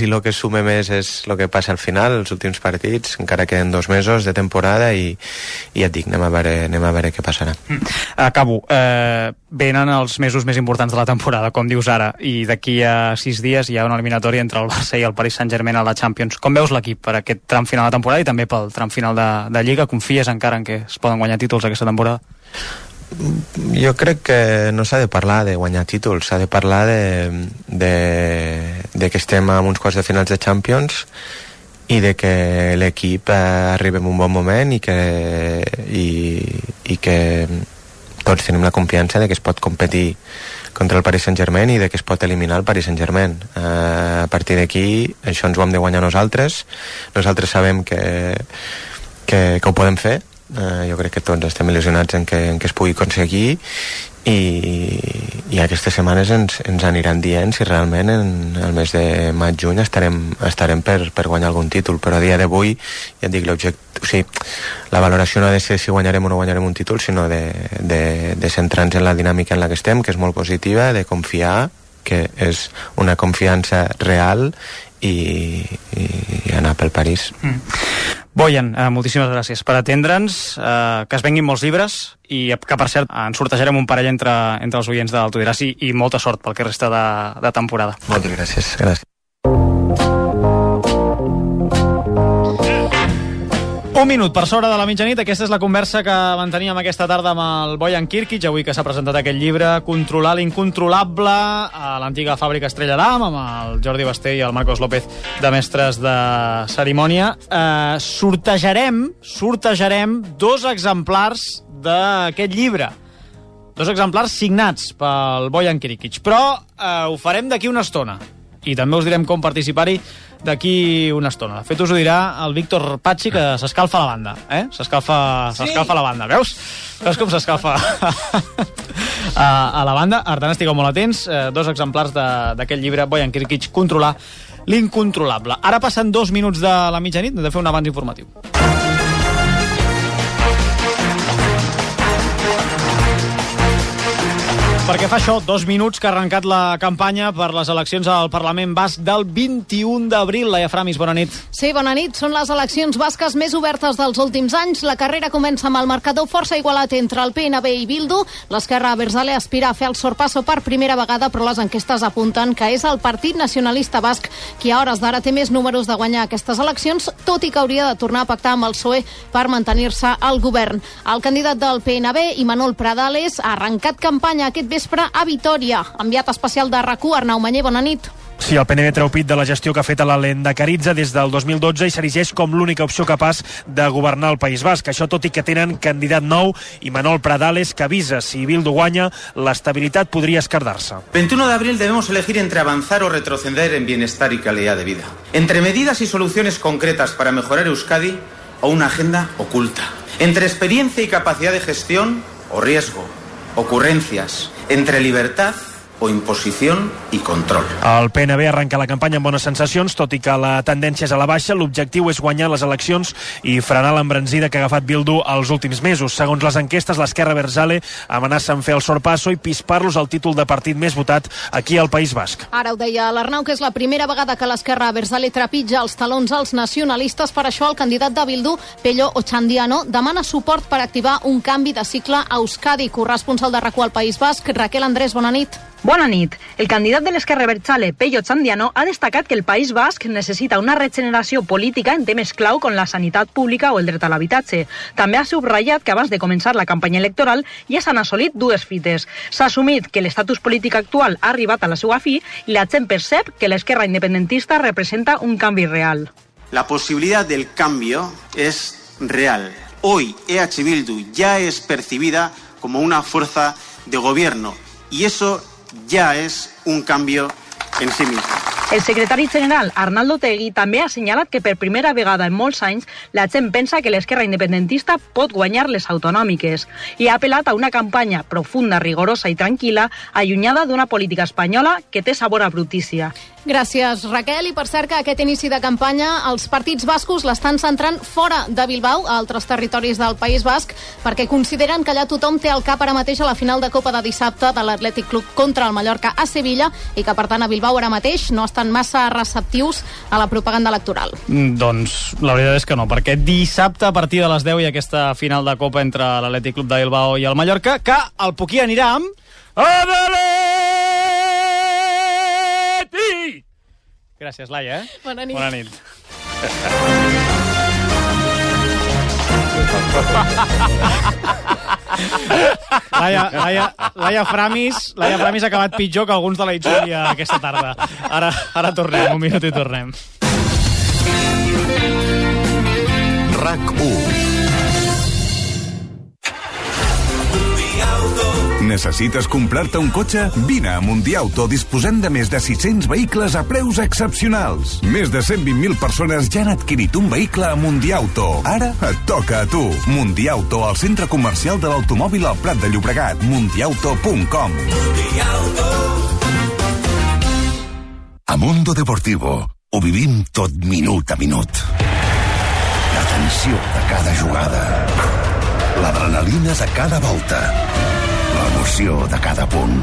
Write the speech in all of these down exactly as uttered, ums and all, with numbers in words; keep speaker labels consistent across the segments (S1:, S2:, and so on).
S1: I el que sume més és el que passa al final, els últims partits, encara queden dos mesos de temporada i, i ja et dic, anem a veure, anem a veure què passarà.
S2: Mm. Acabo. Eh, venen els mesos més importants de la temporada, com dius ara, i d'aquí a sis dies hi ha una eliminatòria entre el Barça i el Paris Saint-Germain a la Champions. Com veus l'equip per aquest tram final de temporada i també pel tram final de, de Lliga? Confies encara en que es poden guanyar títols aquesta temporada?
S1: Jo crec que no s'ha de parlar de guanyar títols, s'ha de parlar de, de, de que estem a uns quarts de finals de Champions i de que l'equip arriba en un bon moment i que, i, i que tots tenim la confiança de que es pot competir contra el Paris Saint-Germain i de que es pot eliminar el Paris Saint-Germain. Uh, a partir d'aquí, això ens ho hem de guanyar nosaltres. Nosaltres sabem que, que, que ho podem fer. Uh, jo crec que tots estem il·lusionats en que, en que es pugui aconseguir i, i aquestes setmanes ens, ens aniran dient si realment en el mes de maig-juny estarem, estarem per, per guanyar algun títol, però a dia d'avui ja et dic, l'objecte, o sigui, la valoració no ha de ser si guanyarem o no guanyarem un títol, sinó de, de, de centrar-nos en la dinàmica en la que estem, que és molt positiva, de confiar, que és una confiança real i, i anar pel París.
S2: Mm. Bojan, eh, moltíssimes gràcies per atendre'ns, eh, que es venguin molts llibres i que, per cert, ens sortejarem un parell entre, entre els oients de l'Autodiràs i, i molta sort pel que resta de, de temporada.
S1: Moltes gràcies. Gràcies.
S2: Un minut per sobre de la mitjanit. Aquesta és la conversa que manteníem aquesta tarda amb el Bojan Kirkic, avui que s'ha presentat aquest llibre, Controlar l'incontrolable, a l'antiga fàbrica Estrella d'Am, amb el Jordi Basté i el Marcos López de mestres de cerimònia. Eh, sortejarem, sortejarem dos exemplars d'aquest llibre. Dos exemplars signats pel Bojan Kirkic, però eh, ho farem d'aquí una estona. I també us direm com participar-hi d'aquí una estona. De fet, us ho dirà el Víctor Patxi, que s'escalfa la banda. Eh? S'escalfa, sí. s'escalfa la banda. Veus? Veus com s'escalfa a, a la banda? Per tant, estigueu molt atents. Eh, dos exemplars d'aquest llibre, Bojan Kirkic, Controlar l'incontrolable. Ara passen dos minuts de la mitjanit, hem de fer un avanç informatiu. Perquè fa això, dos minuts que ha arrencat la campanya per les eleccions al Parlament Basc del vint-i-un d'abril. Laia Framis, bona nit.
S3: Sí, bona nit. Són les eleccions basques més obertes dels últims anys. La carrera comença amb el marcador força igualat entre el P N B i Bildu. L'esquerra abertzale aspira a fer el sorpasso per primera vegada, però les enquestes apunten que és el Partit Nacionalista Basc qui a hores d'ara té més números de guanyar aquestes eleccions, tot i que hauria de tornar a pactar amb el P S O E per mantenir-se al govern. El candidat del P N B, Imanol Pradales, ha arrencat campanya aquest vespre a Vitòria. Enviat especial de RAC u, Arnau Manyer, bona nit.
S4: Sí, el P N B treu pit de la gestió que ha fet a la Lehendakaritza des del dos mil dotze i s'erigeix com l'única opció capaç de governar el País Basc. Això tot i que tenen candidat nou, Imanol Pradales, que avisa si Bildu guanya, l'estabilitat podria esquerdar-se.
S5: veintiuno de abril debemos elegir entre avanzar o retroceder en bienestar y calidad de vida. Entre medidas y soluciones concretas para mejorar Euskadi o una agenda oculta. Entre experiencia y capacidad de gestión o riesgo. Ocurrencias. Entre libertad o imposició i control.
S4: El P N B arrenca la campanya amb bones sensacions, tot i que la tendència és a la baixa. L'objectiu és guanyar les eleccions i frenar l'embranzida que ha agafat Bildu els últims mesos. Segons les enquestes, l'esquerra abertzale amenaça en fer el sorpasso i pispar-los al títol de partit més votat aquí al País Basc.
S3: Ara ho deia l'Arnau, que és la primera vegada que l'esquerra abertzale trepitja els talons als nacionalistes. Per això el candidat de Bildu, Pello Otxandiano, demana suport per activar un canvi de cicle a Euskadi. Corresponsal de RAC u al País Basc, Raquel Andrés, bona nit.
S6: Bona nit. El candidat de l'esquerra abertzale, Pello Otxandiano, ha destacat que el País Basc necessita una regeneració política en temes clau com la sanitat pública o el dret a l'habitatge. També ha subratllat que abans de començar la campanya electoral ja s'han assolit dues fites. S'ha assumit que l'estatus polític actual ha arribat a la seva fi i la gent percep que l'esquerra independentista representa un canvi real.
S7: La possibilitat del canvi és real. Hoy E H Bildu ya es percibida como una fuerza de gobierno y eso ja és un canvi en si mismo.
S6: El secretari general, Arnaldo Tegui, també ha assenyalat que per primera vegada en molts anys la gent pensa que l'esquerra independentista pot guanyar les autonòmiques i ha apel·lat a una campanya profunda, rigorosa i tranquil·la, allunyada d'una política espanyola que té sabor a brutícia.
S3: Gràcies, Raquel. I per cert que aquest inici de campanya els partits bascos l'estan centrant fora de Bilbao, a altres territoris del País Basc, perquè consideren que allà tothom té al cap ara mateix a la final de Copa de dissabte de l'Atlètic Club contra el Mallorca a Sevilla i que, per tant, a Bilbao ara mateix no estan massa receptius a la propaganda electoral.
S2: Mm, doncs la veritat és que no, perquè dissabte a partir de les deu hi ha aquesta final de Copa entre l'Atlètic Club de Bilbao i el Mallorca, que el Puquí anirà amb... Atleti! Gràcies, Laia. Eh?
S3: Bona nit.
S2: Bona nit. Laia, Laia, Laia Framis Laia Framis ha acabat pitjor que alguns de la Itxúria aquesta tarda. Ara, ara tornem, un minut i tornem.
S8: RAC u. Necessites comprar-te un cotxe? Vine a Mundiauto, disposant de més de sis-cents vehicles a preus excepcionals. Més de cent vint mil persones ja han adquirit un vehicle a Mundiauto. Ara et toca a tu. Mundiauto, al centre comercial de l'automòbil al Prat de Llobregat. mundiauto punt com.
S9: A Mundo Deportivo ho vivim tot minut a minut. La tensió de cada jugada, l'adrenalina de cada volta, l'emoció de cada punt,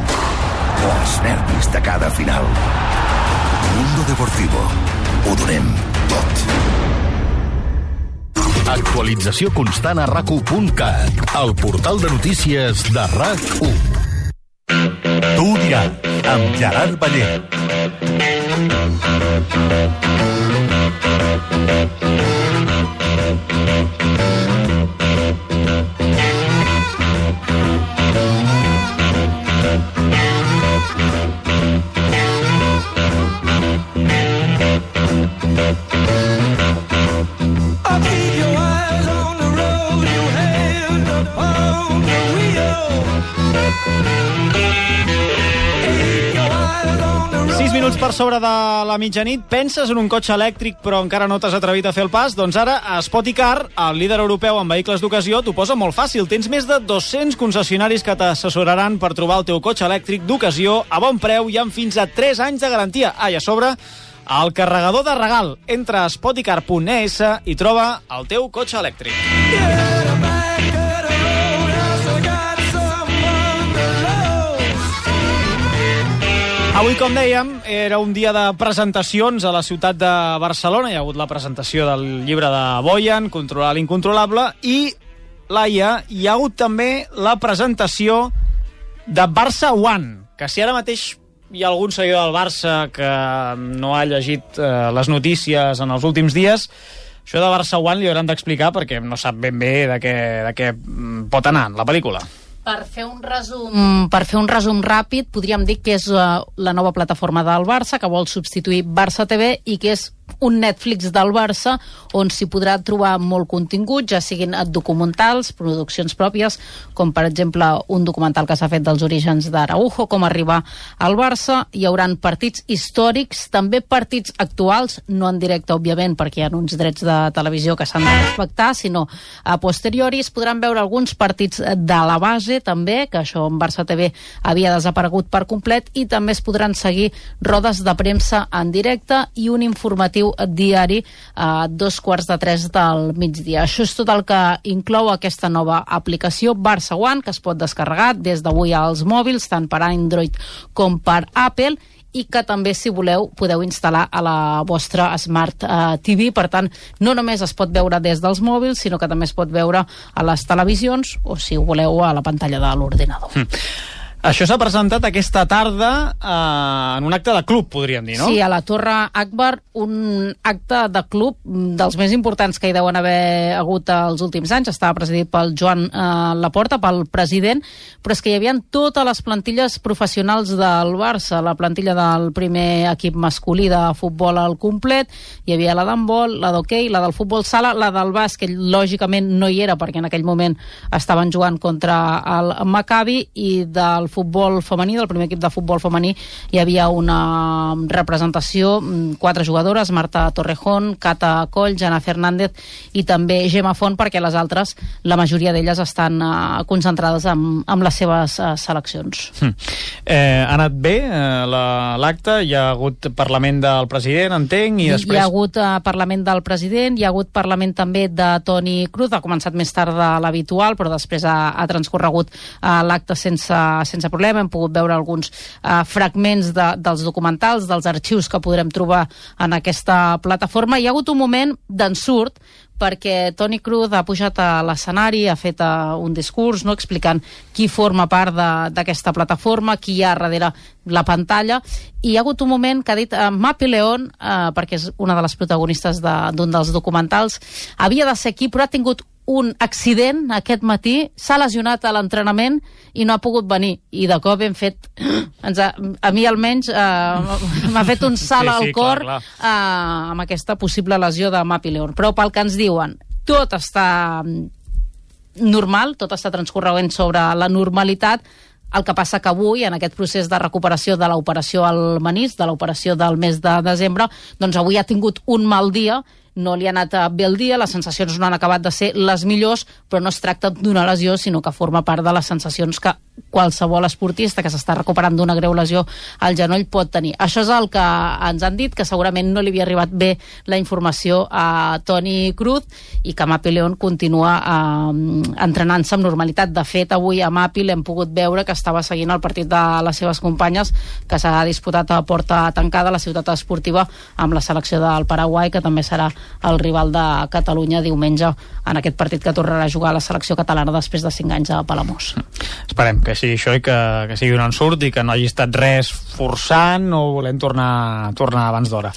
S9: els nervis de cada final. Mundo Deportivo. Ho donem tot.
S10: Actualització constant a rac u punt cat, el portal de notícies de RAC u.
S11: Tu dirà, amb Gerard Ballé.
S2: sis minuts per sobre de la mitjanit. Penses en un cotxe elèctric però encara no t'has atrevit a fer el pas? Doncs ara a Spoticar, el líder europeu en vehicles d'ocasió, t'ho posa molt fàcil. Tens més de dos-cents concessionaris que t'assessoraran per trobar el teu cotxe elèctric d'ocasió a bon preu i amb fins a tres anys de garantia. Ah, i a sobre, el carregador de regal. Entra a spoticar punt e essa i troba el teu cotxe elèctric. Avui, com dèiem, era un dia de presentacions a la ciutat de Barcelona. Hi ha hagut la presentació del llibre de Boyan, Controlar l'incontrolable, i, Laia, hi ha hagut també la presentació de Barça One, que si ara mateix hi ha algun seguidor del Barça que no ha llegit eh, les notícies en els últims dies, això de Barça One li hauran d'explicar perquè no sap ben bé de què, de què pot anar la pel·lícula.
S12: Per fer un resum, per fer un resum ràpid, podríem dir que és uh, la nova plataforma del Barça, que vol substituir Barça T V i que és un Netflix del Barça on s'hi podrà trobar molt contingut, ja siguin documentals, produccions pròpies, com per exemple un documental que s'ha fet dels orígens d'Araujo, com arribar al Barça. Hi hauran partits històrics, també partits actuals, no en directe, òbviament, perquè hi ha uns drets de televisió que s'han de respectar, sinó a posteriori es podran veure alguns partits de la base, també, que això en Barça T V havia desaparegut per complet, i també es podran seguir rodes de premsa en directe i un informatiu diari a dos quarts de tres del migdia. Això és tot el que inclou aquesta nova aplicació Barça One, que es pot descarregar des d'avui als mòbils, tant per Android com per Apple, i que també, si voleu, podeu instal·lar a la vostra Smart uh, T V. Per tant, no només es pot veure des dels mòbils, sinó que també es pot veure a les televisions o, si ho voleu, a la pantalla de l'ordinador. Mm.
S2: Això s'ha presentat aquesta tarda eh, en un acte de club, podríem dir, no?
S12: Sí, a la Torre Akbar, un acte de club dels més importants que hi deuen haver hagut els últims anys. Estava presidit pel Joan eh, Laporta, pel president, però és que hi havia totes les plantilles professionals del Barça, la plantilla del primer equip masculí de futbol al complet, hi havia la d'handbol, la d'hoquei, la del futbol sala, la del bàsquet, lògicament no hi era perquè en aquell moment estaven jugant contra el Maccabi, i del del futbol femení, del primer equip de futbol femení, hi havia una representació, quatre jugadores, Marta Torrejón, Cata Coll, Jana Fernández i també Gemma Font, perquè les altres, la majoria d'elles estan uh, concentrades amb, amb les seves uh, seleccions.
S2: Hm. Eh, ha anat bé eh, l'acte? Hi ha hagut Parlament del president, entenc, i després...
S12: Hi ha hagut uh, Parlament del president, hi ha hagut Parlament també de Toni Cruz, ha començat més tard de l'habitual, però després ha, ha transcorregut uh, l'acte sense, sense problema. Hem pogut veure alguns uh, fragments de, dels documentals, dels arxius que podrem trobar en aquesta plataforma. Hi ha hagut un moment d'ensurt, perquè Toni Cruz ha pujat a l'escenari, ha fet uh, un discurs, no, explicant qui forma part d'aquesta plataforma, qui hi ha darrere la pantalla, i hi ha hagut un moment que ha dit uh, Mapi León, uh, perquè és una de les protagonistes d'un de, dels documentals, havia de ser aquí, però ha tingut un accident aquest matí, s'ha lesionat a l'entrenament i no ha pogut venir. I de cop hem fet... Ens ha, a mi almenys eh, m'ha fet un salt sí, sí, al cor clar, clar. Eh, amb aquesta possible lesió de Mapi León. Però pel que ens diuen, tot està normal, tot està transcorrent sobre la normalitat. El que passa que avui, en aquest procés de recuperació de l'operació al menisc, de l'operació del mes de desembre, doncs avui ha tingut un mal dia, no li ha anat bé el dia, les sensacions no han acabat de ser les millors, però no es tracta d'una lesió, sinó que forma part de les sensacions que qualsevol esportista que s'està recuperant d'una greu lesió al genoll pot tenir. Això és el que ens han dit, que segurament no li havia arribat bé la informació a Toni Cruz i que Mapi León continua eh, entrenant-se amb normalitat. De fet, avui a Mapi l'hem pogut veure que estava seguint el partit de les seves companyes, que s'ha disputat a porta tancada a la ciutat esportiva amb la selecció del Paraguai, que també serà el rival de Catalunya diumenge en aquest partit que tornarà a jugar a la selecció catalana després de cinc anys a Palamós.
S2: Esperem que sigui això i que, que sigui un ensurt i que no hagi estat res forçant o volem tornar, tornar abans d'hora.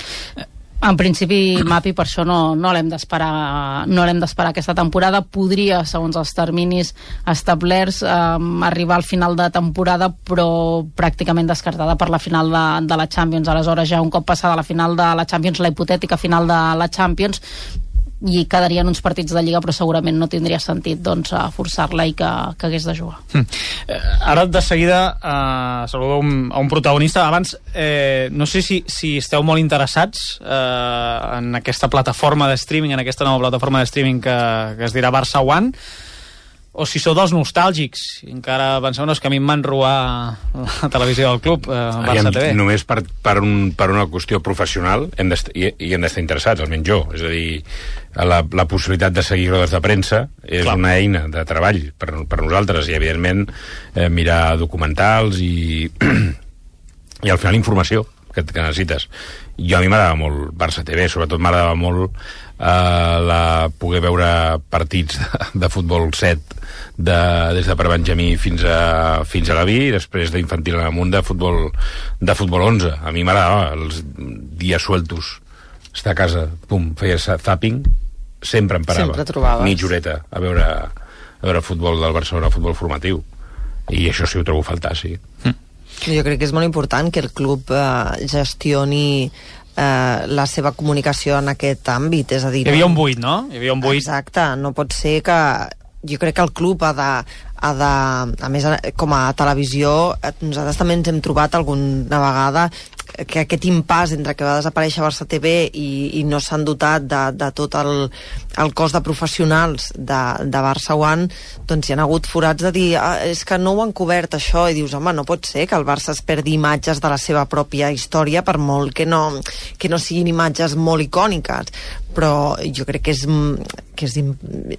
S12: En principi, Mapi, per això no, no l'hem d'esperar no l'hem d'esperar aquesta temporada. Podria, segons els terminis establerts, eh, arribar al final de temporada, però pràcticament descartada per la final de, de la Champions. Aleshores, ja un cop passada la final de la Champions, la hipotètica final de la Champions, i quedarien uns partits de Lliga, però segurament no tindria sentit doncs, forçar-la i que, que hagués de jugar.
S2: Hm. Eh, ara de seguida eh, saludo un, a un protagonista. Abans, eh, no sé si, si esteu molt interessats eh, en aquesta plataforma de streaming, en aquesta nova plataforma de streaming que, que es dirà Barça One, o si sou dels nostàlgics i encara penseu, no, és que a mi em van robar la televisió del club, eh, Barça T V.
S13: Només per, per, un, per una qüestió professional hem i, i hem d'estar interessats, almenys jo. És a dir, la, la possibilitat de seguir rodes de premsa és Clar. una eina de treball per, per nosaltres i, evidentment, eh, mirar documentals i, i al final informació que, que necessites. Jo a mi m'agradava molt Barça T V, sobretot m'agradava molt eh, la, poder veure partits de, de futbol set de, des de prebenjamí fins a, fins a la vi i després d'infantil en amunt de futbol, de futbol onze. A mi m'agradava els dies sueltos, estar a casa, pum, feia zapping, sempre em parava mitja horeta a veure, a veure futbol del Barcelona, futbol formatiu, i això sí ho trobo a faltar, sí.
S2: Mm.
S14: Jo crec que és molt important que el club eh, gestioni eh, la seva comunicació en aquest àmbit, és a dir...
S2: Hi havia un buit, no? Hi havia un buit.
S14: Exacte, no pot ser que... Jo crec que el club ha de... Ha de a més, com a televisió, nosaltres també ens hem trobat alguna vegada que aquest impàs entre que va desaparèixer Barça T V i, i no s'han dotat de, de tot el, el cos de professionals de, de Barça One, doncs hi ha hagut forats de dir, ah, és que no ho han cobert això, i dius, home, no pot ser que el Barça es perdi imatges de la seva pròpia història, per molt que no, que no siguin imatges molt icòniques, però jo crec que és, que és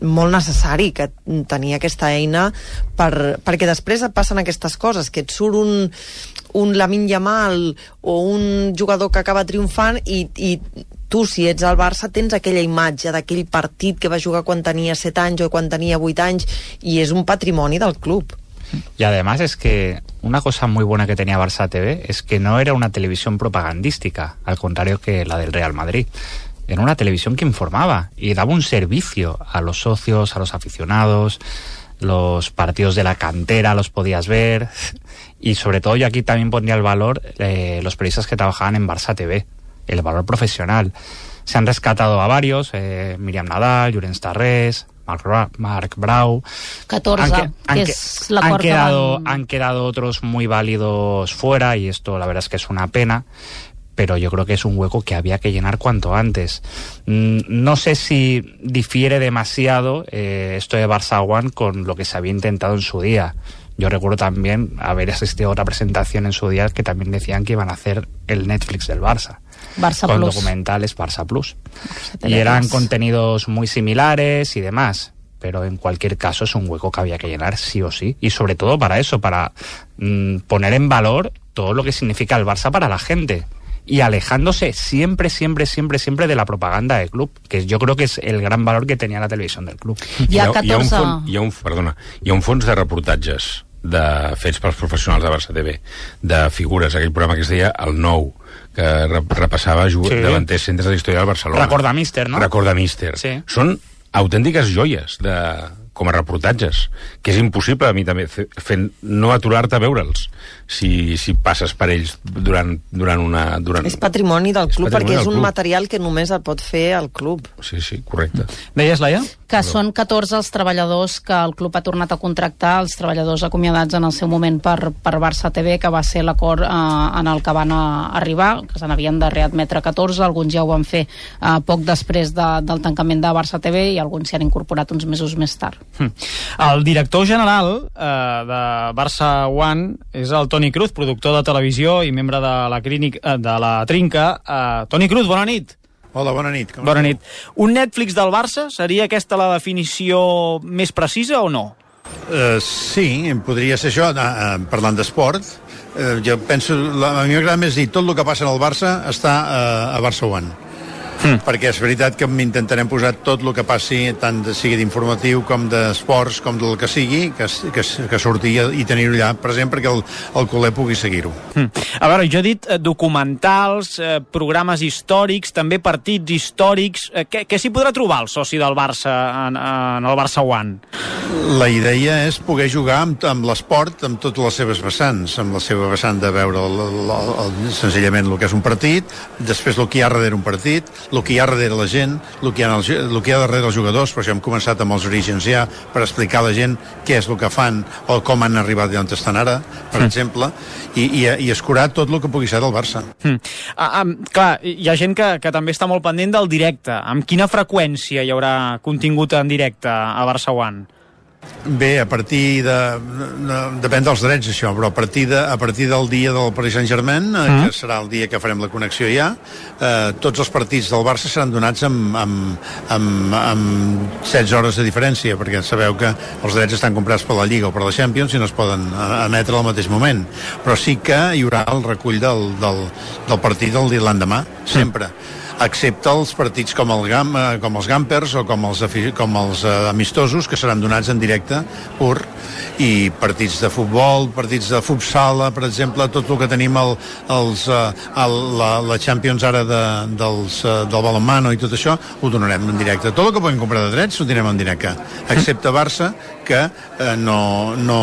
S14: molt necessari que tenir aquesta eina per, perquè després et passen aquestes coses, que et surt un, un Lamine Yamal o un jugador que acaba triomfant i, i tu, si ets al Barça, tens aquella imatge d'aquell partit que va jugar quan tenia set anys o quan tenia vuit anys, i és un patrimoni del club.
S15: Y además es que una cosa muy buena que tenía Barça T V es que no era una televisión propagandística, al contrario que la del Real Madrid. Era una televisión que informaba y daba un servicio a los socios, a los aficionados. Los partidos de la cantera los podías ver, y sobre todo yo aquí también pondría el valor eh, los periodistas que trabajaban en Barça T V, el valor profesional. Se han rescatado a varios, eh, Miriam Nadal, Llorenç Tarrés, Marc, Marc Brau.
S12: catorze,
S15: han,
S12: que
S15: han,
S12: és l'acord
S15: han quedado,
S12: que van...
S15: han quedado otros muy válidos fuera y esto la verdad es que es una pena, pero yo creo que es un hueco que había que llenar cuanto antes. No sé si difiere demasiado eh, esto de Barça One con lo que se había intentado en su día. Yo recuerdo también haber asistido a otra presentación en su día que también decían que iban a hacer el Netflix del Barça.
S12: Barça
S15: con
S12: Plus.
S15: documentales Barça Plus.
S12: Barça
S15: Y eran
S12: Plus.
S15: contenidos muy similares y demás. Pero en cualquier caso es un hueco que había que llenar sí o sí. Y sobre todo para eso, para mmm, poner en valor todo lo que significa el Barça para la gente. Y alejándose siempre, siempre, siempre, siempre de la propaganda del club, que yo creo que es el gran valor que tenía la televisió del club.
S12: Hi ha catorze...
S13: Hi ha un fons, hi ha un, perdona, hi ha un fons de reportatges de, fets pels professionals de Barça T V, de figures, aquell programa que es deia El Nou, que repassava sí. davanters centres de la història del Barcelona.
S15: Recorda Míster, no?
S13: Recorda Míster.
S15: Sí.
S13: Són autèntiques joies de, com a reportatges, que és impossible a mi també fent, no aturar-te a veure'ls si, si passes per ells durant, durant una... Durant...
S14: És patrimoni del club,
S13: patrimoni
S14: perquè és
S13: del
S14: un
S13: club.
S14: material que només el pot fer el club.
S13: Sí, sí, correcte.
S2: Deies, Laia?
S12: Que són catorze els treballadors que el club ha tornat a contractar, els treballadors acomiadats en el seu moment per, per Barça T V, que va ser l'acord eh, en el que van a, arribar, que se n'havien de readmetre catorze, alguns ja ho van fer eh, poc després de, del tancament de Barça T V i alguns s'hi han incorporat uns mesos més tard.
S2: Hm. El director general eh, de Barça One és el Toni Cruz, productor de televisió i membre de la, clínica, eh, de la Trinca. Eh, Toni Cruz, bona nit.
S16: Hola, bona nit. Com
S2: bona nit. Un Netflix del Barça, seria aquesta la definició més precisa o no?
S16: Uh, sí, podria ser això, uh, parlant d'esport. Uh, jo penso, la, a mi m'agrada més dir, tot el que passa en el Barça està uh, a Barça One. Mm. Perquè és veritat que intentarem posar tot el que passi, tant de, sigui d'informatiu com d'esports, com del que sigui, que, que, que surti i tenir-ho allà present perquè el, el culer pugui seguir-ho.
S2: Mm. A veure, jo he dit eh, documentals, eh, programes històrics, també partits històrics. Eh, què què s'hi podrà trobar el soci del Barça en, en el Barça One?
S16: La idea és poder jugar amb, amb l'esport, amb totes les seves vessants, amb la seva vessant de veure el, el, el, el, senzillament el que és un partit, després el que hi ha darrere un partit, el que hi ha darrere la gent, el que hi ha, el, el que hi ha darrere els jugadors, per això hem començat amb els orígens ja, per explicar a la gent què és el que fan o com han arribat d'on estan ara, per mm. exemple, i, i, i escurar tot el que pugui ser del Barça.
S2: Mm. Ah, ah, clar, hi ha gent que, que també està molt pendent del directe. Amb quina freqüència hi haurà contingut en directe a Barça One?
S16: Bé, a partir de... de depèn dels drets, això, però a partir, de, a partir del dia del Paris Saint-Germain, eh, mm. que serà el dia que farem la connexió ja, eh, tots els partits del Barça seran donats amb, amb, amb, amb setze hores de diferència, perquè sabeu que els drets estan comprats per la Lliga o per la Champions i no es poden emetre al mateix moment. Però sí que hi haurà el recull del, del, del partit del dia l'endemà, sempre. Mm. Excepte els partits com, el Gam, com els Gampers o com els, com els uh, amistosos, que seran donats en directe pur, i partits de futbol, partits de futsal, per exemple, tot el que tenim el, els, uh, el, la, la Champions ara de, dels, uh, del balonmano i tot això, ho donarem en directe. Tot el que podem comprar de drets ho tindrem en directe, excepte Barça, que eh, no, no,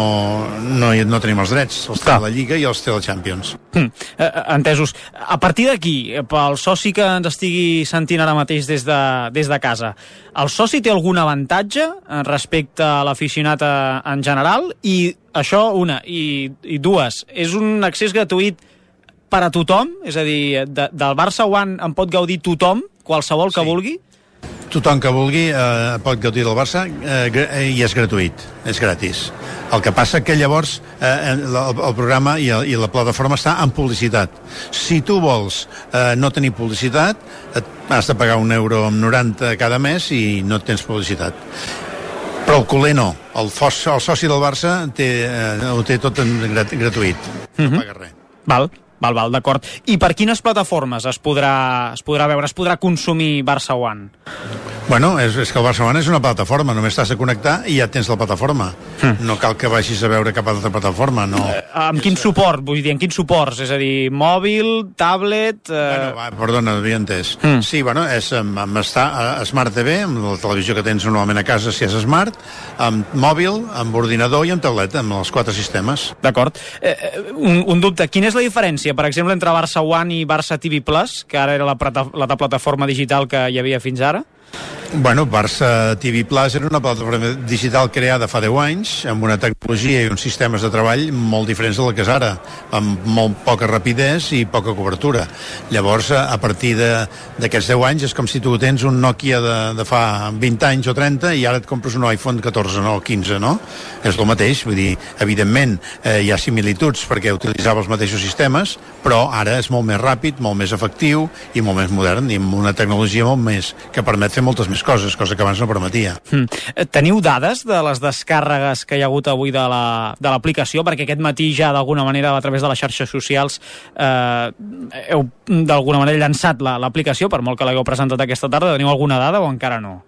S16: no, no tenim els drets, els té la Lliga i els té la Champions.
S2: Mm, eh, entesos. A partir d'aquí, pel soci que ens estigui sentint ara mateix des de, des de casa, el soci té algun avantatge respecte a l'aficionat en general? I això, una. I, i dues, és un accés gratuït per a tothom? És a dir, de, del Barça One en pot gaudir tothom, qualsevol que sí. vulgui?
S16: Tothom que vulgui eh, pot gaudir del Barça eh, i és gratuït, és gratis. El que passa que llavors eh, el, el programa i, el, i la plataforma està en publicitat. Si tu vols eh, no tenir publicitat, has de pagar un euro amb noranta cada mes i no tens publicitat. Però el culer no. El, fos, el soci del Barça té, eh, ho té tot en grat, gratuït. No
S2: mm-hmm.
S16: paga res.
S2: Val. Val, val, d'acord. I per quines plataformes es podrà, es podrà veure, es podrà consumir Barça One?
S16: Bueno, és, és que el Barça One és una plataforma, només t'has de connectar i ja tens la plataforma. Mm. No cal que vagis a veure cap altra plataforma, no.
S2: Eh, amb quin suport? Vull dir, en quins suports? És a dir, mòbil, tablet... Eh...
S16: Bueno, va, perdona, havia entès. Mm. Sí, bueno, és amb, amb estar a Smart T V, amb la televisió que tens normalment a casa si és Smart, amb mòbil, amb ordinador i amb tauleta, amb els quatre sistemes.
S2: D'acord. Eh, un, un dubte, quina és la diferència, per exemple, entre Barça One i Barça T V Plus, que ara era la, la, la plataforma digital que hi havia fins ara?
S16: Bueno, Barça T V Plus era una plataforma digital creada fa deu anys, amb una tecnologia i uns sistemes de treball molt diferents de la que és ara, amb molt poca rapidesa i poca cobertura. Llavors, a partir d'aquests deu anys, és com si tu tens un Nokia de, de fa vint anys o trenta i ara et compres un iPhone catorze, no? O quinze, no? És el mateix, vull dir, evidentment eh, hi ha similituds perquè utilitzava els mateixos sistemes, però ara és molt més ràpid, molt més efectiu i molt més modern i amb una tecnologia molt més que permet fer moltes més coses, cosa que abans no permetia.
S2: Mm. Teniu dades de les descàrregues que hi ha hagut avui de l'aplicació? Perquè aquest matí ja d'alguna manera a través de les xarxes socials eh, heu d'alguna manera llançat l'aplicació, per molt que l'hagueu presentat aquesta tarda. Teniu alguna dada o encara no?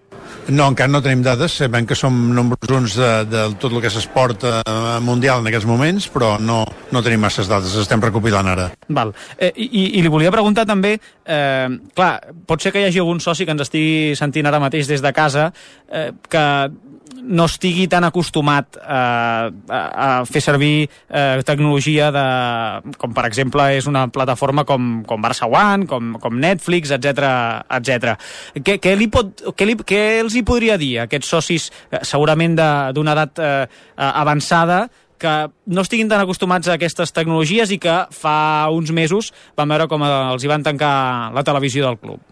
S16: No, encara no tenim dades, sabem que som nombres uns de, de tot el que és esport eh, mundial en aquests moments, però no, no tenim masses dades, estem recopilant ara.
S2: Val. Eh, i, I li volia preguntar també, eh, clar, pot ser que hi hagi algun soci que ens estigui sentint ara mateix des de casa eh, que no estigui tan acostumat eh, a, a fer servir eh, tecnologia de, com per exemple és una plataforma com, com Barça One, com, com Netflix, etcètera, etcètera. Què, què, li pot, què, li, què els hi podria dir a aquests socis, eh, segurament d'una edat eh, avançada, que no estiguin tan acostumats a aquestes tecnologies i que fa uns mesos van veure com els hi van tancar la televisió del club?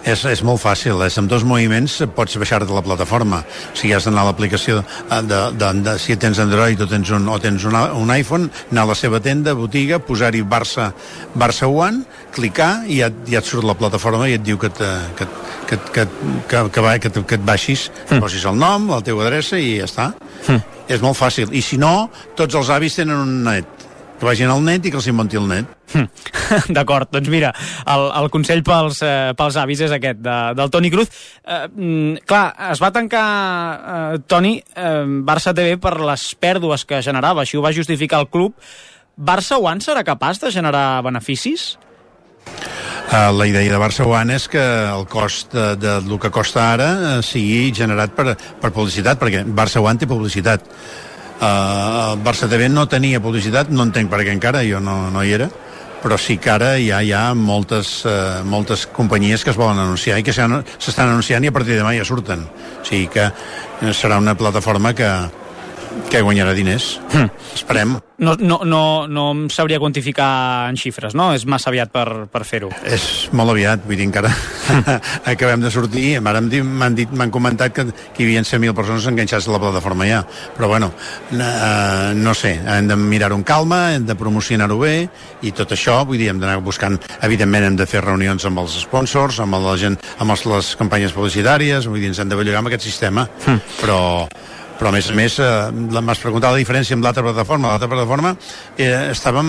S16: És, és molt fàcil, és amb dos moviments pots baixar-te la plataforma. O sigui, has d'anar a l'aplicació de, de, de, si tens Android o tens un, o tens un, un iPhone, anar a la seva tenda, botiga, posar-hi Barça, Barça One, clicar i ja, ja et surt la plataforma i et diu que, te, que, que, que, que, que, va, que, que et baixis, mm. posis el nom, la teva adreça i ja està. Mm. És molt fàcil. I si no, tots els avis tenen un net. Que vagin al net i que els inventi el net.
S2: Hm. D'acord, doncs mira, el, el consell pels, eh, pels avis és aquest, de, del Toni Cruz. Eh, clar, es va tancar, eh, Toni, eh, Barça T V per les pèrdues que generava, així ho va justificar el club. Barça One serà capaç de generar beneficis?
S16: Uh, la idea de Barça One és que el cost de, de, del que costa ara uh, sigui generat per, per publicitat, perquè Barça One té publicitat. Uh, el Barça T V no tenia publicitat, no entenc per què encara, jo no, no hi era, però sí que ara hi ha, hi ha moltes, uh, moltes companyies que es volen anunciar i que s'estan anunciant i a partir de demà ja surten. O sigui que serà una plataforma que, que guanyarà diners. Hm. Esperem.
S2: No, no, no, no em sabria quantificar en xifres, no? És massa aviat per, per fer-ho.
S16: És molt aviat, vull dir, encara acabem de sortir, ara m'han dit, m'han comentat que, que hi havia cent mil persones enganxats a la plataforma ja, però bueno, eh, no sé, hem de mirar-ho amb calma, hem de promocionar-ho bé, i tot això, vull dir, hem d'anar buscant, evidentment hem de fer reunions amb els sponsors, amb la gent, amb les, les campanyes publicitàries, vull dir, ens hem de bellugar amb aquest sistema, mm. però... però a més a més eh, m'has preguntat la diferència amb l'altra plataforma. L'altra plataforma eh, estàvem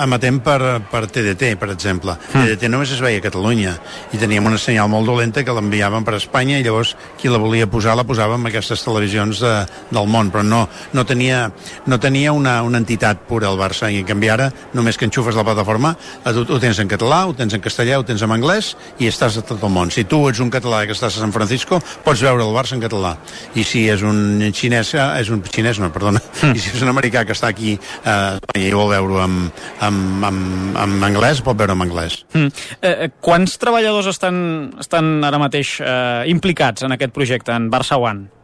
S16: emetent per, per T D T, per exemple. Mm. T D T només es veia a Catalunya i teníem una senyal molt dolenta que l'enviàvem per Espanya i llavors qui la volia posar la posava en aquestes televisions de, del món, però no, no tenia, no tenia una, una entitat pura al Barça, i en canvi ara només que enxufes la plataforma ho, ho tens en català, ho tens en castellà, ho tens en anglès i estàs a tot el món. Si tu ets un català que estàs a San Francisco pots veure el Barça en català, i si és un xinès xinès, és un xinès, no, perdona, mm. i si és un americà que està aquí eh, i vol veure-ho en, en, en, en anglès, pot veure en anglès.
S2: Mm. Eh, quants treballadors estan, estan ara mateix eh, implicats en aquest projecte, en Barça One?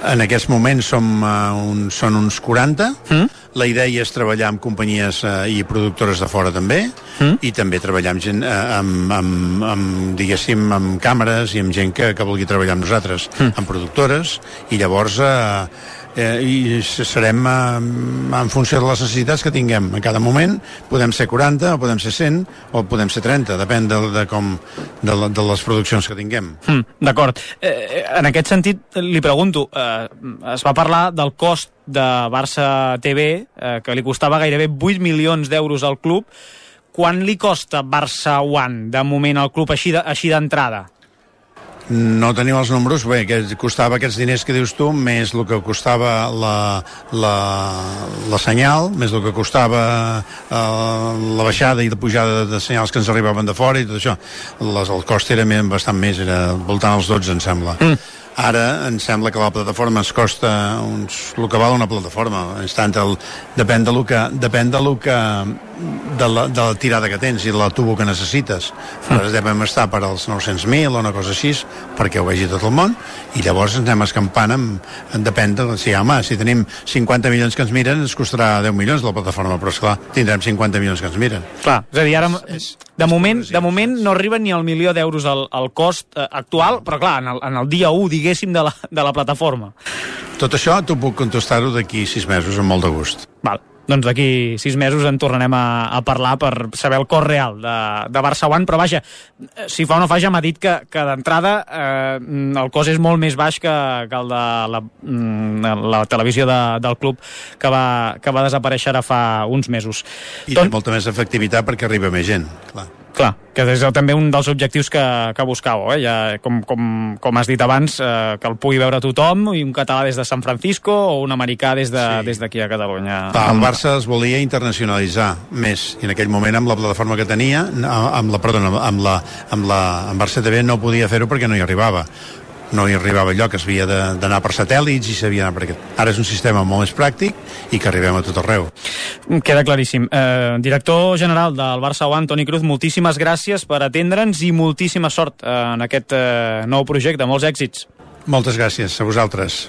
S16: En aquests moments som, uh, un, són uns quaranta. Mm. La idea és treballar amb companyies uh, i productores de fora també, mm. i també treballar amb gent, uh, amb, amb, amb, diguéssim, amb càmeres i amb gent que, que vulgui treballar amb nosaltres, mm. amb productores, i llavors uh, eh, i serem eh, en funció de les necessitats que tinguem en cada moment. Podem ser quaranta, o podem ser cent, o podem ser trenta, depèn de, de, com, de, la, de les produccions que tinguem.
S2: Mm, D'acord. Eh, en aquest sentit, li pregunto, eh, es va parlar del cost de Barça T V, eh, que li costava gairebé vuit milions d'euros al club. Quan li costa Barça One, de moment, al club, així d'entrada?
S16: No tenim els números, bé, que costava aquests diners que dius tu, més el que costava la, la, la senyal, més el que costava eh, la baixada i la pujada de senyals que ens arribaven de fora i tot això. Les, el cost era bastant més, era voltant als dotze, em sembla. Mm. Ara em sembla que la plataforma ens costa uns, el que val una plataforma. Instant, el, depèn de lo que, depèn de lo que de la, de la tirada que tens i de la tubo que necessites. Ara devem estar per als nou-cents mil o una cosa així, perquè ho vegi tot el món, i llavors ens anem escampant amb, en depèn de... Si, home, si tenim cinquanta milions que ens miren, ens costarà deu milions la plataforma, però esclar, tindrem cinquanta milions que ens miren.
S2: Clar, és a dir, ara, de moment, de moment no arriben ni al milió d'euros al, al cost eh, actual, però clar, en el, en el dia u, diguéssim, de la, de la plataforma.
S16: Tot això t'ho puc contestar-ho d'aquí sis mesos, amb molt de gust.
S2: Val. Doncs d'aquí sis mesos en tornarem a, a parlar per saber el cost real de, de Barça One, però vaja, si fa o no fa ja m'ha dit que, que d'entrada eh, el cost és molt més baix que, que el de la, la televisió de, del club que va, que va desaparèixer ara fa uns mesos.
S16: I Ton... té molta més efectivitat perquè arriba més gent, clar.
S2: Clar, que és també un dels objectius que, que buscàveu, eh? Ja, com, com, com has dit abans, eh, que el pugui veure tothom, i un català des de San Francisco o un americà des d'aquí de, sí. a Catalunya.
S16: Clar, el Barça es volia internacionalitzar més, i en aquell moment amb la plataforma que tenia, amb la, perdona, amb la, amb la amb Barça T V no podia fer-ho perquè no hi arribava. No hi arribava allò, que es havia d'anar per satèl·lits i s'havia d'anar per aquest. Ara és un sistema molt més pràctic i que arribem a tot arreu.
S2: Queda claríssim. Eh, director general del Barça One, Toni Cruz, moltíssimes gràcies per atendre'ns i moltíssima sort en aquest eh, nou projecte. Molts èxits.
S16: Moltes gràcies a vosaltres.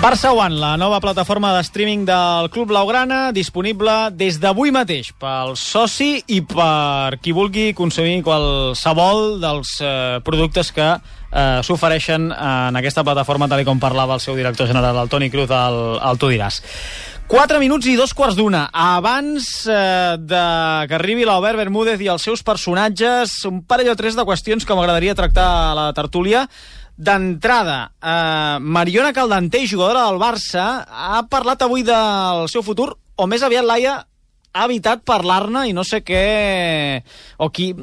S2: Barça One, la nova plataforma de streaming del Club Blaugrana, disponible des d'avui mateix pel soci i per qui vulgui consumir qualsevol dels eh, productes que eh, s'ofereixen en aquesta plataforma, tal com parlava el seu director general, el Toni Cruz, al, al Tu diràs. Quatre minuts i dos quarts d'una. Abans eh, de que arribi l'Albert Bermúdez i els seus personatges, un parell o tres de qüestions que m'agradaria tractar a la tertúlia. D'entrada, eh, Mariona Caldentey, jugadora del Barça, ha parlat avui del seu futur, o més aviat Laia ha evitat parlar-ne, i no sé què o qui,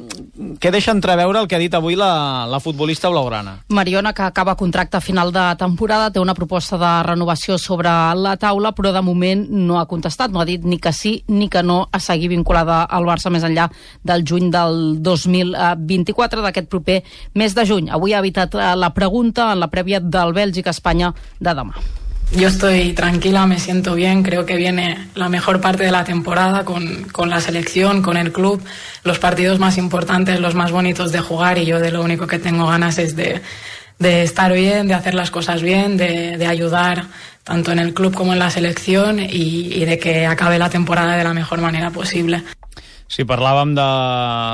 S2: què deixa entreveure el que ha dit avui la, la futbolista blaugrana.
S12: Mariona, que acaba contracte a final de temporada, té una proposta de renovació sobre la taula, però de moment no ha contestat, no ha dit ni que sí ni que no a seguir vinculada al Barça més enllà del juny del dos mil vint-i-quatre, d'aquest proper mes de juny. Avui ha evitat la pregunta en la prèvia del Bèlgica-Espanya de demà.
S17: Yo estoy tranquila, me siento bien, creo que viene la mejor parte de la temporada con, con la selección, con el club, los partidos más importantes, los más bonitos de jugar, y yo de lo único que tengo ganas es de, de estar bien, de hacer las cosas bien, de, de ayudar tanto en el club como en la selección y, y de que acabe la temporada de la mejor manera posible.
S2: Si parlàvem de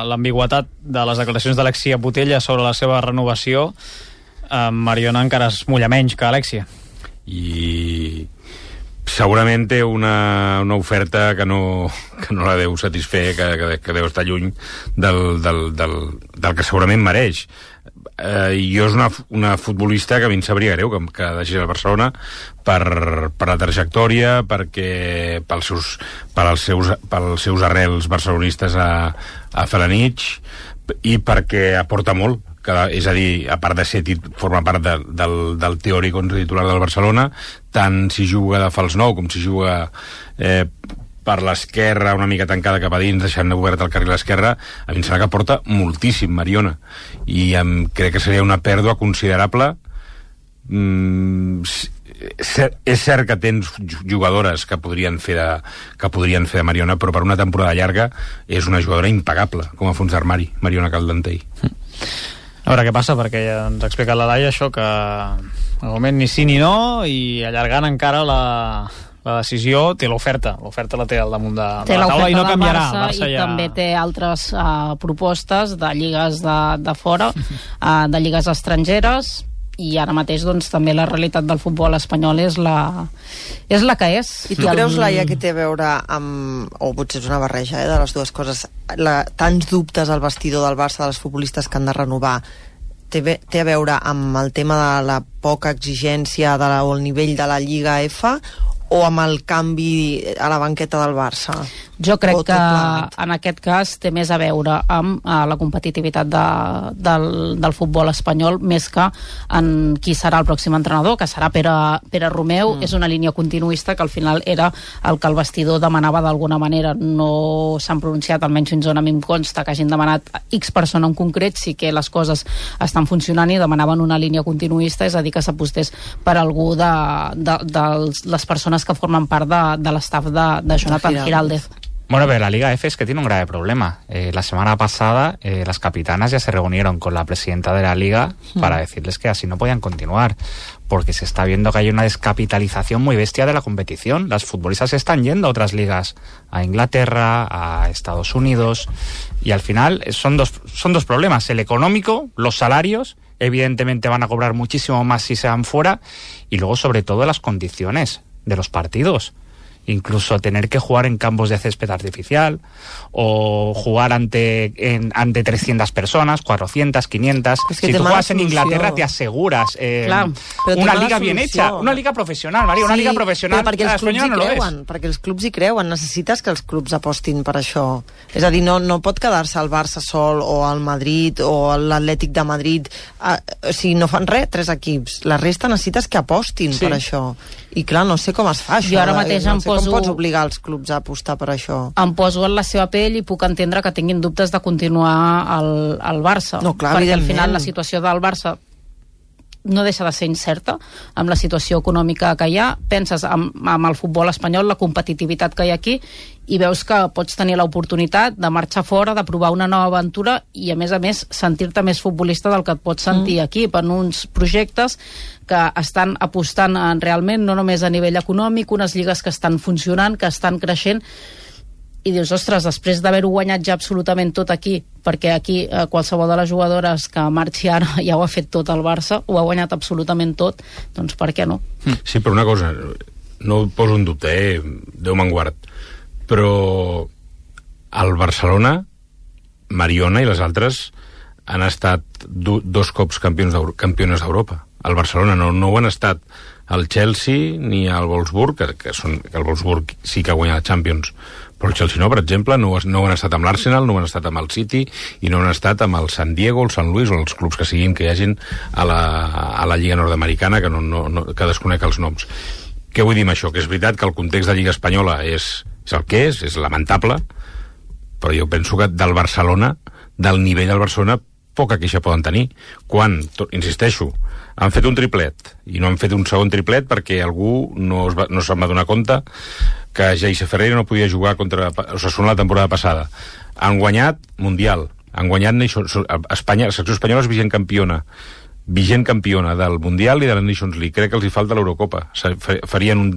S2: l'ambigüitat de les declaracions d'Alexia Putella sobre la seva renovació, eh, Mariona encara es mulla menys que Alexia.
S13: I segurament té una, una oferta que no, que no la deu satisfer, que, que, que deu estar lluny del, del, del, del que segurament mereix. Eh, jo és una, una futbolista que a mi em sabria greu que, que deixés el Barcelona per, per la trajectòria, perquè pels seus, per als seus, pels seus arrels barcelonistes a, a Felanitx, i perquè aporta molt. Que, és a dir, a part de ser tit, forma part de, del, del teòric onze titular del Barcelona, tant si juga de fals nou com si juga eh, per l'esquerra, una mica tancada cap a dins, deixant obert el carril a l'esquerra, a mi em sembla que aporta moltíssim Mariona, i em, crec que seria una pèrdua considerable. mm, és cert que tens jugadores que podrien fer de, que podrien fer de Mariona, però per una temporada llarga és una jugadora impagable com a fons d'armari, Mariona Caldentey.
S2: A veure què passa, perquè ja ens ha explicat la Laia això, que al moment ni sí ni no, i allargant encara la, la decisió, té l'oferta l'oferta la té al damunt de, de la taula i no canviarà.
S12: Barça, Barça i ja... també té altres uh, propostes de lligues de, de fora, uh, de lligues estrangeres, i ara mateix doncs, també la realitat del futbol espanyol és la, és la que és.
S14: I tu I creus, el... Laia, que té a veure amb, o potser és una barreja eh, de les dues coses, la, tants dubtes al vestidor del Barça de les futbolistes que han de renovar, té, té a veure amb el tema de la poca exigència de la, o el nivell de la Lliga F, o amb el canvi a la banqueta del Barça?
S12: Jo crec que en aquest cas té més a veure amb uh, la competitivitat de, del, del futbol espanyol més que en qui serà el pròxim entrenador, que serà Pere, Pere Romeu. Mm. És una línia continuista que al final era el que el vestidor demanava d'alguna manera. No s'han pronunciat, almenys fins on a mi em consta, que hagin demanat X persona en concret, sí que les coses estan funcionant i demanaven una línia continuista, és a dir, que s'apostés per algú de, de, de les persones que formen part de, de l'estaf de, de Jonathan Giraldez.
S15: Bueno, pero la Liga F es que tiene un grave problema. Eh, la semana pasada eh, las capitanas ya se reunieron con la presidenta de la Liga mm. para decirles que así no podían continuar, porque se está viendo que hay una descapitalización muy bestia de la competición. Las futbolistas están yendo a otras ligas, a Inglaterra, a Estados Unidos, y al final son dos, son dos problemas. El económico, los salarios, evidentemente van a cobrar muchísimo más si se van fuera, y luego sobre todo las condiciones de los partidos. Incluso tener que jugar en campos de césped artificial o jugar ante en, ante trescientas personas, cuatrocientas, quinientas. Es que si tú juegas en Inglaterra te aseguras eh, claro, una liga bien hecha, una liga professional, Maria, una sí, liga professional.
S14: Però perquè els clubs hi creuen, no perquè els clubs hi creuen, necessites que els clubs apostin per això. És a dir, no, no pot quedar-se el Barça sol o el Madrid o l'Atlètic de Madrid, eh, o sigui, no fan res, tres equips. La resta necessites que apostin sí. per això. I clar, no sé com es fa això.
S12: Jo ara mateix
S14: no
S12: em
S14: sé
S12: poso...
S14: com pots obligar els clubs a apostar per això?
S12: Em poso en la seva pell i puc entendre que tinguin dubtes de continuar al, al Barça.
S14: No, clar,
S12: perquè al final la situació del Barça no deixa de ser incerta amb la situació econòmica que hi ha. Penses amb, amb el futbol espanyol, la competitivitat que hi ha aquí, i veus que pots tenir l'oportunitat de marxar fora, de provar una nova aventura i, a més a més, sentir-te més futbolista del que et pots sentir mm. aquí, per uns projectes que estan apostant en realment, no només a nivell econòmic, unes lligues que estan funcionant, que estan creixent, i dius, ostres, després d'haver-ho guanyat ja absolutament tot aquí, perquè aquí eh, qualsevol de les jugadores que marxi ara ja ho ha fet tot el Barça, ho ha guanyat absolutament tot, doncs per què no?
S13: Sí, però una cosa, no poso en dubte, eh? Déu me'n guard, però el Barcelona, Mariona i les altres han estat do, dos cops campions campiones d'Europa. El Barcelona no, no ho han estat el Chelsea ni el Wolfsburg, que, que, són, que el Wolfsburg sí que ha guanyat Champions, però el Chelsea no, per exemple, no, no ho han estat amb l'Arsenal, no ho han estat amb el City i no ho han estat amb el San Diego, el San Luis o els clubs que siguin que hi hagin a la, a la Lliga Nord-Americana, que, no, no, no, que desconec els noms. Què vull dir amb això? Que és veritat que el context de Lliga Espanyola és, és el que és, és lamentable, però jo penso que del Barcelona, del nivell del Barcelona, poca queixa poden tenir. Quan, tot, insisteixo, han fet un triplet i no han fet un segon triplet perquè algú no, es va, no se'n va donar compte que Geise Ferreira no podia jugar contra Osasuna la temporada passada. Han guanyat Mundial, han guanyat Nations, Espanya, la selecció espanyola és vigent campiona vigent campiona del Mundial i de la Nations League. Crec que els hi falta l'Eurocopa. Farien un,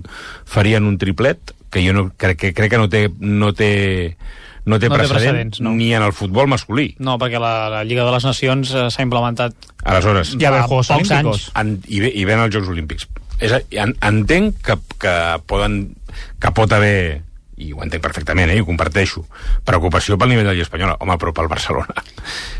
S13: farien un triplet que jo no, crec, que, crec que no té, no té no té, no precedent, té precedents no. Ni en el futbol masculí.
S2: No, perquè la, la Lliga de les Nacions eh, s'ha implementat
S13: aleshores
S2: ja fa pocs anys.
S13: En, i, ve, I ven els Jocs Olímpics. És, en, entenc que, que poden que pot haver, i ho entenc perfectament, eh, i ho comparteixo, preocupació pel nivell de la Lliga Espanyola. Home, però pel Barcelona.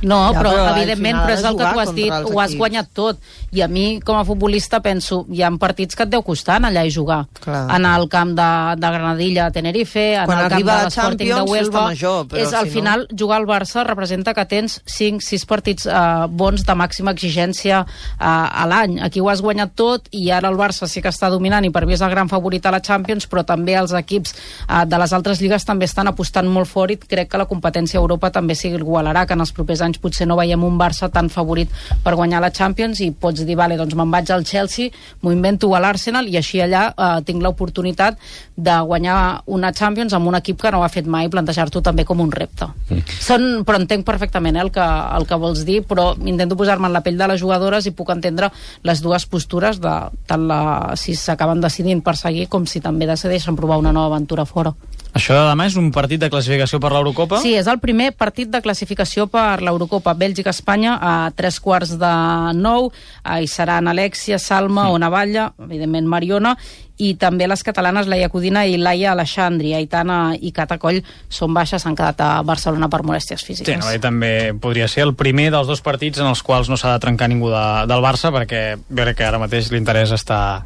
S12: No, ja, però, però evidentment, però és el que tu has dit, ho has guanyat tot. I a mi, com a futbolista, penso, hi ha partits que et deu costar anar allà i jugar. Clar. Anar al camp de, de Granadilla a Tenerife, anar al camp de l'Sporting de Huelva.
S14: Major, però
S12: és, al
S14: si
S12: final,
S14: no...
S12: jugar al Barça representa que tens cinc sis partits eh, bons de màxima exigència eh, a l'any. Aquí ho has guanyat tot i ara el Barça sí que està dominant i per mi és el gran favorit a la Champions, però també els equips eh, de les altres lligues també estan apostant molt fort i crec que la competència a Europa també s'hi igualarà, que en els propers anys potser no veiem un Barça tan favorit per guanyar la Champions i pots dir, vale, doncs me'n vaig al Chelsea, m'ho invento a l'Arsenal i així allà eh, tinc l'oportunitat de guanyar una Champions amb un equip que no ho ha fet mai i plantejar-t'ho també com un repte. Mm. Són, però entenc perfectament eh, el, que, el que vols dir, però intento posar-me en la pell de les jugadores i puc entendre les dues postures de tant la, si s'acaben decidint per seguir com si també decideixen provar una nova aventura fora.
S2: Això de demà és un partit de classificació per l'Eurocopa?
S12: Sí, és el primer partit de classificació per l'Eurocopa. Bèlgica-Espanya a tres quarts de nou. Hi seran Alexia, Salma, sí. Onavalla, evidentment Mariona, i també les catalanes Laia Codina i Laia Alexandri. Aitana i Cata Coll són baixes, s'han quedat a Barcelona per molèsties físiques.
S2: Sí, no, també podria ser el primer dels dos partits en els quals no s'ha de trencar ningú de, del Barça, perquè jo crec que ara mateix l'interès està...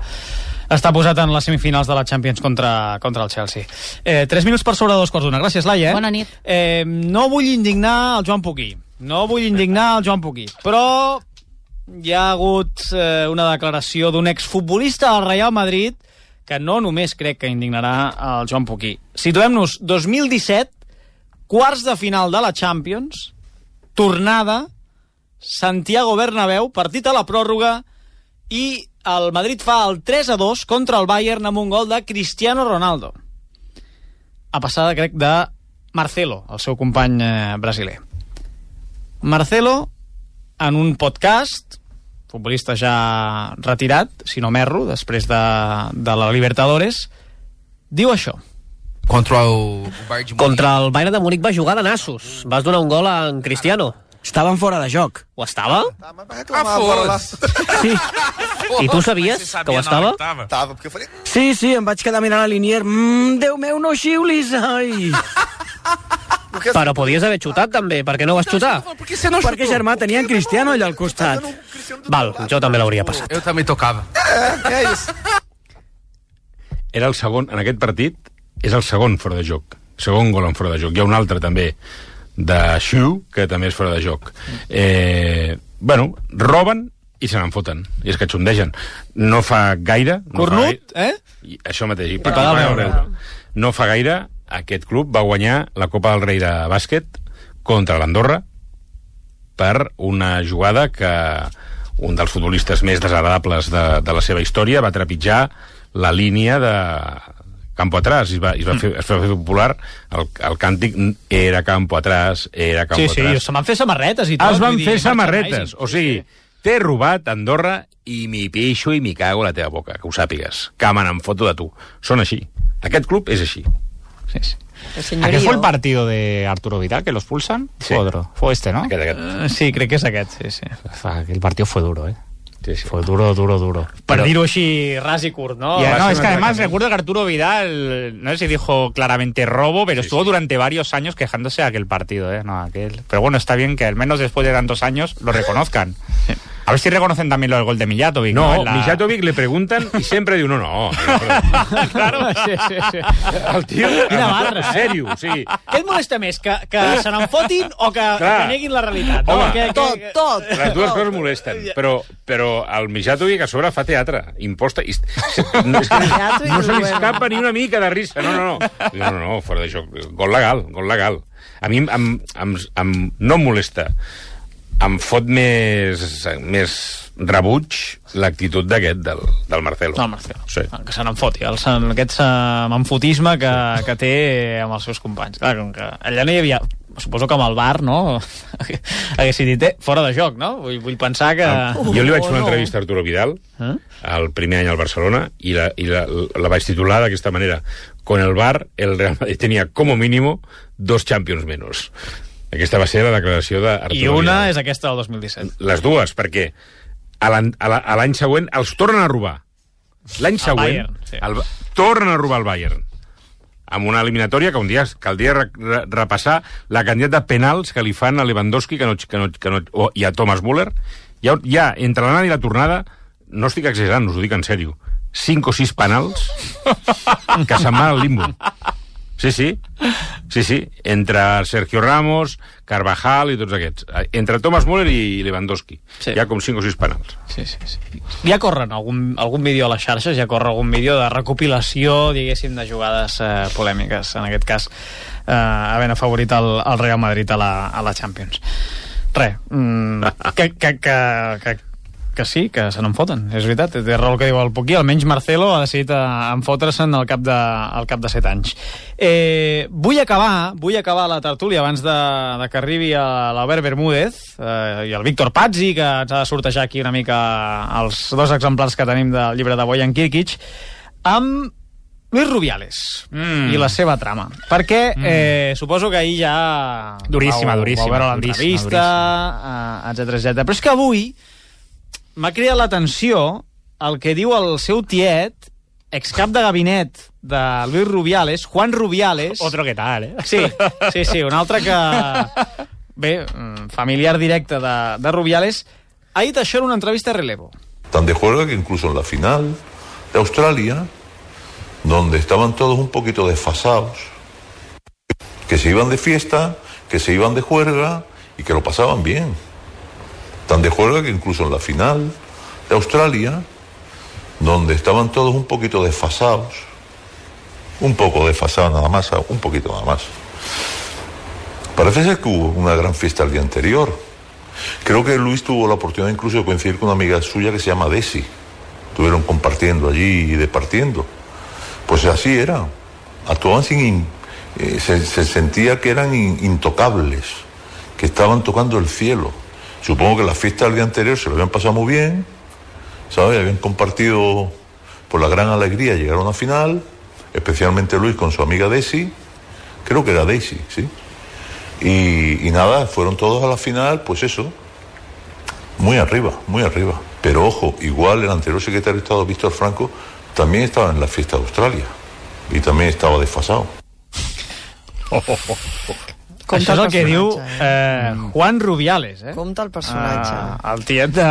S2: està posat en les semifinals de la Champions contra, contra el Chelsea. Eh, tres minuts per sobre de dos quarts d'una. Gràcies, Laia. Eh?
S12: Bona nit.
S2: Eh, no vull indignar el Joan Puquí. No vull indignar el Joan Puquí. Però hi ha hagut eh, una declaració d'un exfutbolista del Real Madrid que no només crec que indignarà el Joan Puquí. Situem-nos, dos mil disset, quarts de final de la Champions, tornada, Santiago Bernabéu, partit a la pròrroga, i el Madrid fa el tres a dos contra el Bayern amb un gol de Cristiano Ronaldo. A passada, crec, de Marcelo, el seu company eh, brasiler. Marcelo, en un podcast, futbolista ja retirat, si no m'erro, després de, de la Libertadores, diu això.
S18: Contra el Bayern de Múnich. Contra el Bayern de Múnich va jugar de nassos. Vas donar un gol a en Cristiano.
S19: Estaven fora de joc.
S18: Ho estava?
S19: Ah, sí.
S18: I tu sabies que ho estava?
S19: Estava, perquè faré... Sí, sí, em vaig quedar mirant a l'Inier. Mmm, Déu meu, no xiulis, ai!
S18: Però podies haver xutat, també. Per què no vas xutar?
S19: Perquè, germà, tenia en Cristiano allà al costat.
S18: Val, jo també l'hauria passat.
S20: Jo també tocava.
S13: Era el segon, en aquest partit, és el segon fora de joc. Segon gol en fora de joc. Hi ha un altre, també, de Xiu, que també és fora de joc. Eh, bueno, roben i se n'en foten, i es catxondegen. No fa gaire... No
S2: Cornut,
S13: fa gaire,
S2: eh?
S13: I això mateix. I
S2: I pagar veure.
S13: No fa gaire, aquest club va guanyar la Copa del Rei de bàsquet contra l'Andorra per una jugada que un dels futbolistes més desagradables de, de la seva història va trepitjar la línia de campo atrás, i es va, es va, fer, es va fer popular el, el càntic era campo atrás, era campo
S2: sí,
S13: atrás.
S2: Sí, se van fer samarretes i tot.
S13: Es van fer samarretes, o sigui, t'he robat Andorra i m'hi pixo i m'hi cago a la teva boca, que ho sàpigues, que me n'en foto de tu. Són així. Aquest club és així.
S2: Sí, sí.
S15: ¿A qué fue el partido de Arturo Vidal que los expulsan?
S13: Sí.
S15: Fue otro. Fue este, ¿no?
S13: Aquest, aquest.
S2: Uh, sí, crec que és aquest, sí, sí.
S15: El partido fue duro, ¿eh?
S13: Sí, sí.
S15: Fue duro, duro, duro.
S2: Per dir-ho així ras i curt, ¿no?
S15: Ya, no, es que además recuerdo que Arturo Vidal, no sé si dijo claramente robo, pero sí, estuvo sí. durante varios años quejándose de aquel partido, ¿eh? No, aquel. Pero bueno, está bien que al menos después de tantos años lo reconozcan. Sí. A ver si reconocen también lo del gol de Mijatovic.
S13: No,
S15: no la...
S13: Mijatovic le preguntan y siempre diu no, no.
S2: Claro, sí, sí, sí.
S13: El tio,
S2: Quina barra,
S13: en sèrio, sí.
S2: Què et molesta més, que, que se n'enfotin o que, que neguin la realitat?
S13: Home,
S2: no? que,
S14: tot,
S2: que...
S14: tot.
S13: Les dues coses molesten, però, però el Mijatovic a sobre fa teatre, imposta... I, no, és que no se li escapa ni una mica de risa. No, no, no. No, no, no, fora de joc. Gol legal, gol legal. A mi em, em, em, no em molesta. Em fot més, més rebuig l'actitud d'aquest, del, del Marcelo.
S2: No, Marcelo.
S13: Sí.
S2: Que se n'en foti, el, aquest manfotisme que, que té amb els seus companys. Clar, com que allà no hi havia... Suposo que amb el bar, no? Haguessin dit, eh, fora de joc, no? Vull, vull pensar que...
S13: Uh, jo li vaig fer una entrevista a Arturo Vidal, eh? el primer any al Barcelona, i la, i la, la vaig titular d'aquesta manera: con el bar, el Real Madrid tenia como mínimo dos Champions menos. Aquesta va ser la declaració d'Arturo
S2: I una
S13: Vidal.
S2: És aquesta del dos mil disset.
S13: Les dues, perquè a l'any següent els tornen a robar. L'any següent
S2: Bayern, sí.
S13: el, tornen a robar el Bayern. Amb una eliminatòria que un dia caldria re, re, repassar la quantitat de penals que li fan a Lewandowski que no, que no, que no, o, i a Thomas Müller. Ja, ja entre l'anada i la tornada, no estic exagerant, us ho dic en sèrio, cinc o sis penals que se'n van al limbo. Sí, sí, sí, sí, entre Sergio Ramos, Carvajal i tots aquests. Entre Thomas Müller i Lewandowski. Sí. Hi ha com cinc o sis penals.
S2: Sí, sí, sí. Ja corren algun, algun vídeo a les xarxes, ja corre algun vídeo de recopilació, diguéssim, de jugades eh, polèmiques, en aquest cas, eh, havent afavorit el, el Real Madrid a la, a la Champions. Re, mm, que, que, que, que que sí, que se n'en foten, és veritat, té raó el que diu el Puquí, almenys Marcelo ha decidit enfotre-se'n al cap de, al cap de set anys. Eh, vull acabar vull acabar la tertúlia abans de, de que arribi l'Albert Bermúdez eh, i el Víctor Pazzi, que ens ha de sortejar aquí una mica els dos exemplars que tenim del llibre de Bojan Kirkic, amb Luis Rubiales mm. i la seva trama. Perquè mm. eh, suposo que ahir ja
S15: duríssima,
S2: vau,
S15: duríssima,
S2: vau veure l'entrevista, etcètera, etcètera. Però és que avui m'ha cridat l'atenció el que diu el seu tiet, excap de gabinet de Luis Rubiales, Juan Rubiales.
S15: Otro que tal, eh?
S2: Sí, sí, sí, un altre que... Bé, familiar directe de, de Rubiales, ha dit això en una entrevista a Relevo.
S21: Tan de juego que incluso en la final
S20: de Australia, donde estaban todos un poquito desfasados, que se iban de fiesta, que se iban de juerga y que lo pasaban bien. Tan de juerga que incluso en la final de Australia, donde estaban todos un poquito desfasados, un poco desfasados nada más, un poquito nada más. Parece ser que hubo una gran fiesta el día anterior. Creo que Luis tuvo la oportunidad incluso de coincidir con una amiga suya que se llama Desi. Estuvieron compartiendo allí y departiendo. Pues así era. Actuaban sin... In, eh, se, se sentía que eran in, intocables, que estaban tocando el cielo. Supongo que la fiesta del día anterior se lo habían pasado muy bien, ¿sabes? Habían compartido por la gran alegría, llegaron a una final, especialmente Luis con su amiga Desi. Creo que era Daisy, ¿sí? Y, y nada, fueron todos a la final, pues eso, muy arriba, muy arriba. Pero ojo, igual el anterior secretario de Estado, Víctor Franco, también estaba en la fiesta de Australia y también estaba desfasado.
S2: Oh, oh, oh, oh. Això és el que diu eh, Juan Rubiales, eh?
S14: Compte el personatge.
S2: Uh, el tiet de,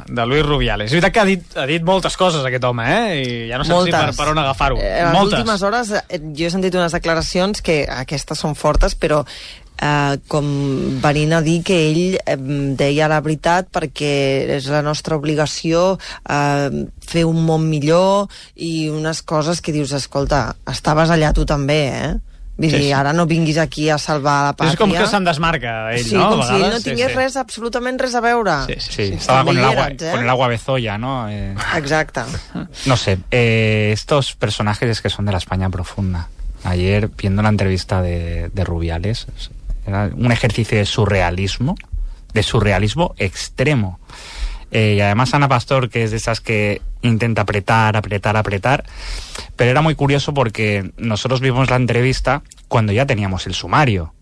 S2: de Luis Rubiales. És veritat que ha dit, ha dit moltes coses aquest home, eh? I ja no saps si per, per on agafar-ho.
S14: Eh, en les
S2: moltes.
S14: últimes hores jo he sentit unes declaracions que aquestes són fortes, però eh, com venint a dir que ell eh, deia la veritat perquè és la nostra obligació eh, fer un món millor i unes coses que dius, escolta, estaves allà tu també, eh? Vull dir, sí, sí. Ara no vinguis aquí a salvar la pàtria.
S2: És com que se'n desmarca ell,
S14: sí,
S2: no?
S14: Com si ell no tingués sí, sí. res, absolutament res a veure.
S15: Sí, sí, sí. Estaba con el, agua, eh? con el agua bezoya, ¿no? Eh,
S14: Exacto.
S15: No sé, eh, estos personajes es que son de la España profunda. Ayer, viendo la entrevista de, de Rubiales, era un ejercicio de surrealismo, de surrealismo extremo. Eh, y además Ana Pastor, que es de esas que intenta apretar, apretar, apretar, pero era muy curioso porque nosotros vimos la entrevista cuando ya teníamos el sumario.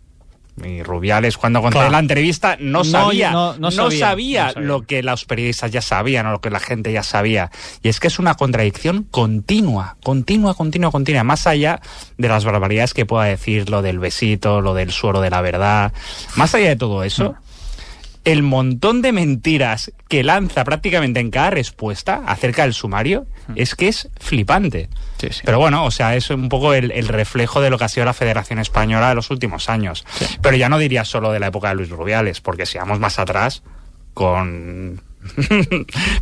S15: Y Rubiales, cuando conté la entrevista, no sabía, no, no, no, sabía, no, sabía, no sabía lo que los periodistas ya sabían o lo que la gente ya sabía. Y es que es una contradicción continua, continua, continua, continua, más allá de las barbaridades que pueda decir lo del besito, lo del suero de la verdad, más allá de todo eso. Mm. El montón de mentiras que lanza prácticamente en cada respuesta acerca del sumario es que es flipante. Sí, sí. Pero bueno, o sea, es un poco el, el reflejo de lo que ha sido la Federación Española de los últimos años. Sí. Pero ya no diría solo de la época de Luis Rubiales, porque si vamos más atrás, con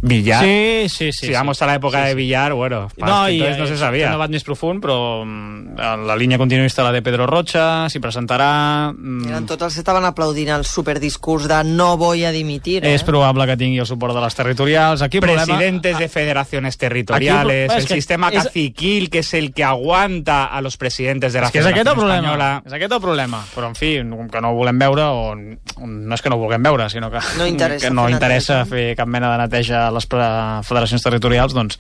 S15: Villar,
S2: sí, sí, sí,
S15: si vamos sí. a la època sí, sí. de Villar, bueno,
S2: no,
S15: i,
S2: entonces
S15: no se sabia.
S2: No va més profund, però la línia continuista la de Pedro Rocha, s'hi presentarà...
S14: Eren tots els que estaven aplaudint el superdiscurs de no voy a dimitir, eh?
S2: És probable que tingui el suport de les territorials. Aquí
S15: Presidentes
S2: problema...
S15: de federaciones territoriales, Aquí, el sistema és... caciquil, que és el que aguanta a los presidentes de la
S2: és que
S15: Federación
S2: és
S15: Espanyola.
S2: És aquest el problema. Però, en fi, que no ho volem veure, o no és que no ho vulguem veure, sinó que
S14: no interessa,
S2: que no
S14: fer,
S2: interessa fer cap mena de neteja a les federacions territorials, doncs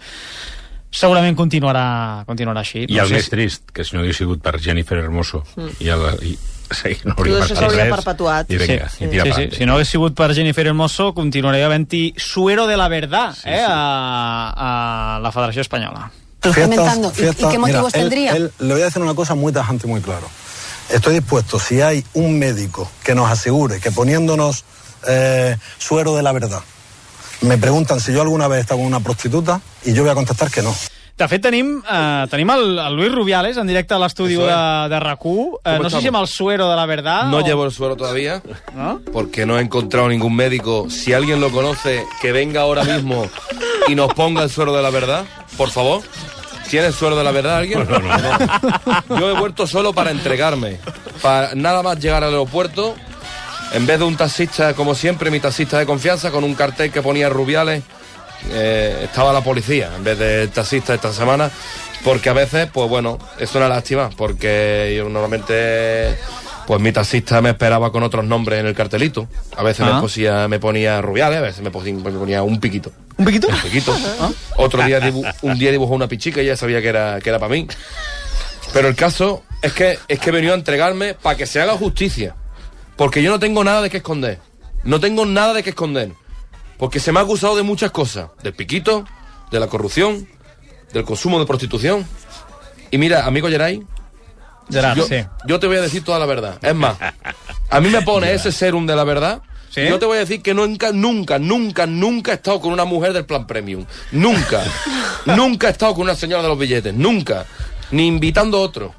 S2: segurament continuarà, continuarà així.
S13: I no el sé més si... trist, que si no hagués sigut per Jennifer Hermoso mm. i, el, i sí, no
S14: hauria passat res perpetuat.
S13: I vinga,
S2: sí,
S13: i tira
S2: sí, sí. Si no hagués sigut per Jennifer Hermoso, continuaria havent-hi suero de la verdad sí, eh, sí. A, a la Federació Espanyola.
S21: Fiestas, fiestas, ¿Y qué motivos mira, tendría? Él, él, le voy a decir una cosa muy tajante y muy claro. Estoy dispuesto, si hay un médico que nos asegure que poniéndonos eh, suero de la verdad, me preguntan si yo alguna vez he estado con una prostituta y yo voy a contestar que no.
S2: De fet, tenim, eh, tenim el, el Luis Rubiales en directe a l'estudi de, de R A C U. Eh, no sé si amb el suero de la verdad.
S22: No
S2: o...
S22: llevo el suero todavía,
S2: ¿no?
S22: Porque no he encontrado ningún médico. Si alguien lo conoce, que venga ahora mismo y nos ponga el suero de la verdad, por favor. ¿Tiene el suero de la verdad alguien?
S13: No, no,
S22: no. Yo he vuelto solo para entregarme. Para nada más llegar al aeropuerto, en vez de un taxista, como siempre, mi taxista de confianza, con un cartel que ponía Rubiales, eh, estaba la policía en vez del taxista esta semana, porque a veces, pues bueno, es una lástima, porque yo normalmente, pues mi taxista me esperaba con otros nombres en el cartelito. A veces ah. me, ponía, me ponía Rubiales, a veces me ponía, me ponía un piquito.
S2: ¿Un piquito?
S22: Un piquito. ¿Ah? Otro día, dibu- un día dibujó una pichica y ya sabía que era, que era para mí. Pero el caso es que, es que he venido a entregarme para que se haga justicia. Porque yo no tengo nada de qué esconder. No tengo nada de qué esconder. Porque se me ha acusado de muchas cosas. Del piquito, de la corrupción, del consumo de prostitución. Y mira, amigo Geray,
S2: Gerard,
S22: yo,
S2: sí.
S22: yo te voy a decir toda la verdad. Es más, a mí me pone ese serum de la verdad
S2: ¿Sí?
S22: Y yo te voy a decir que nunca, nunca, nunca, nunca he estado con una mujer del plan premium. Nunca. Nunca he estado con una señora de los billetes. Nunca. Ni invitando a otro.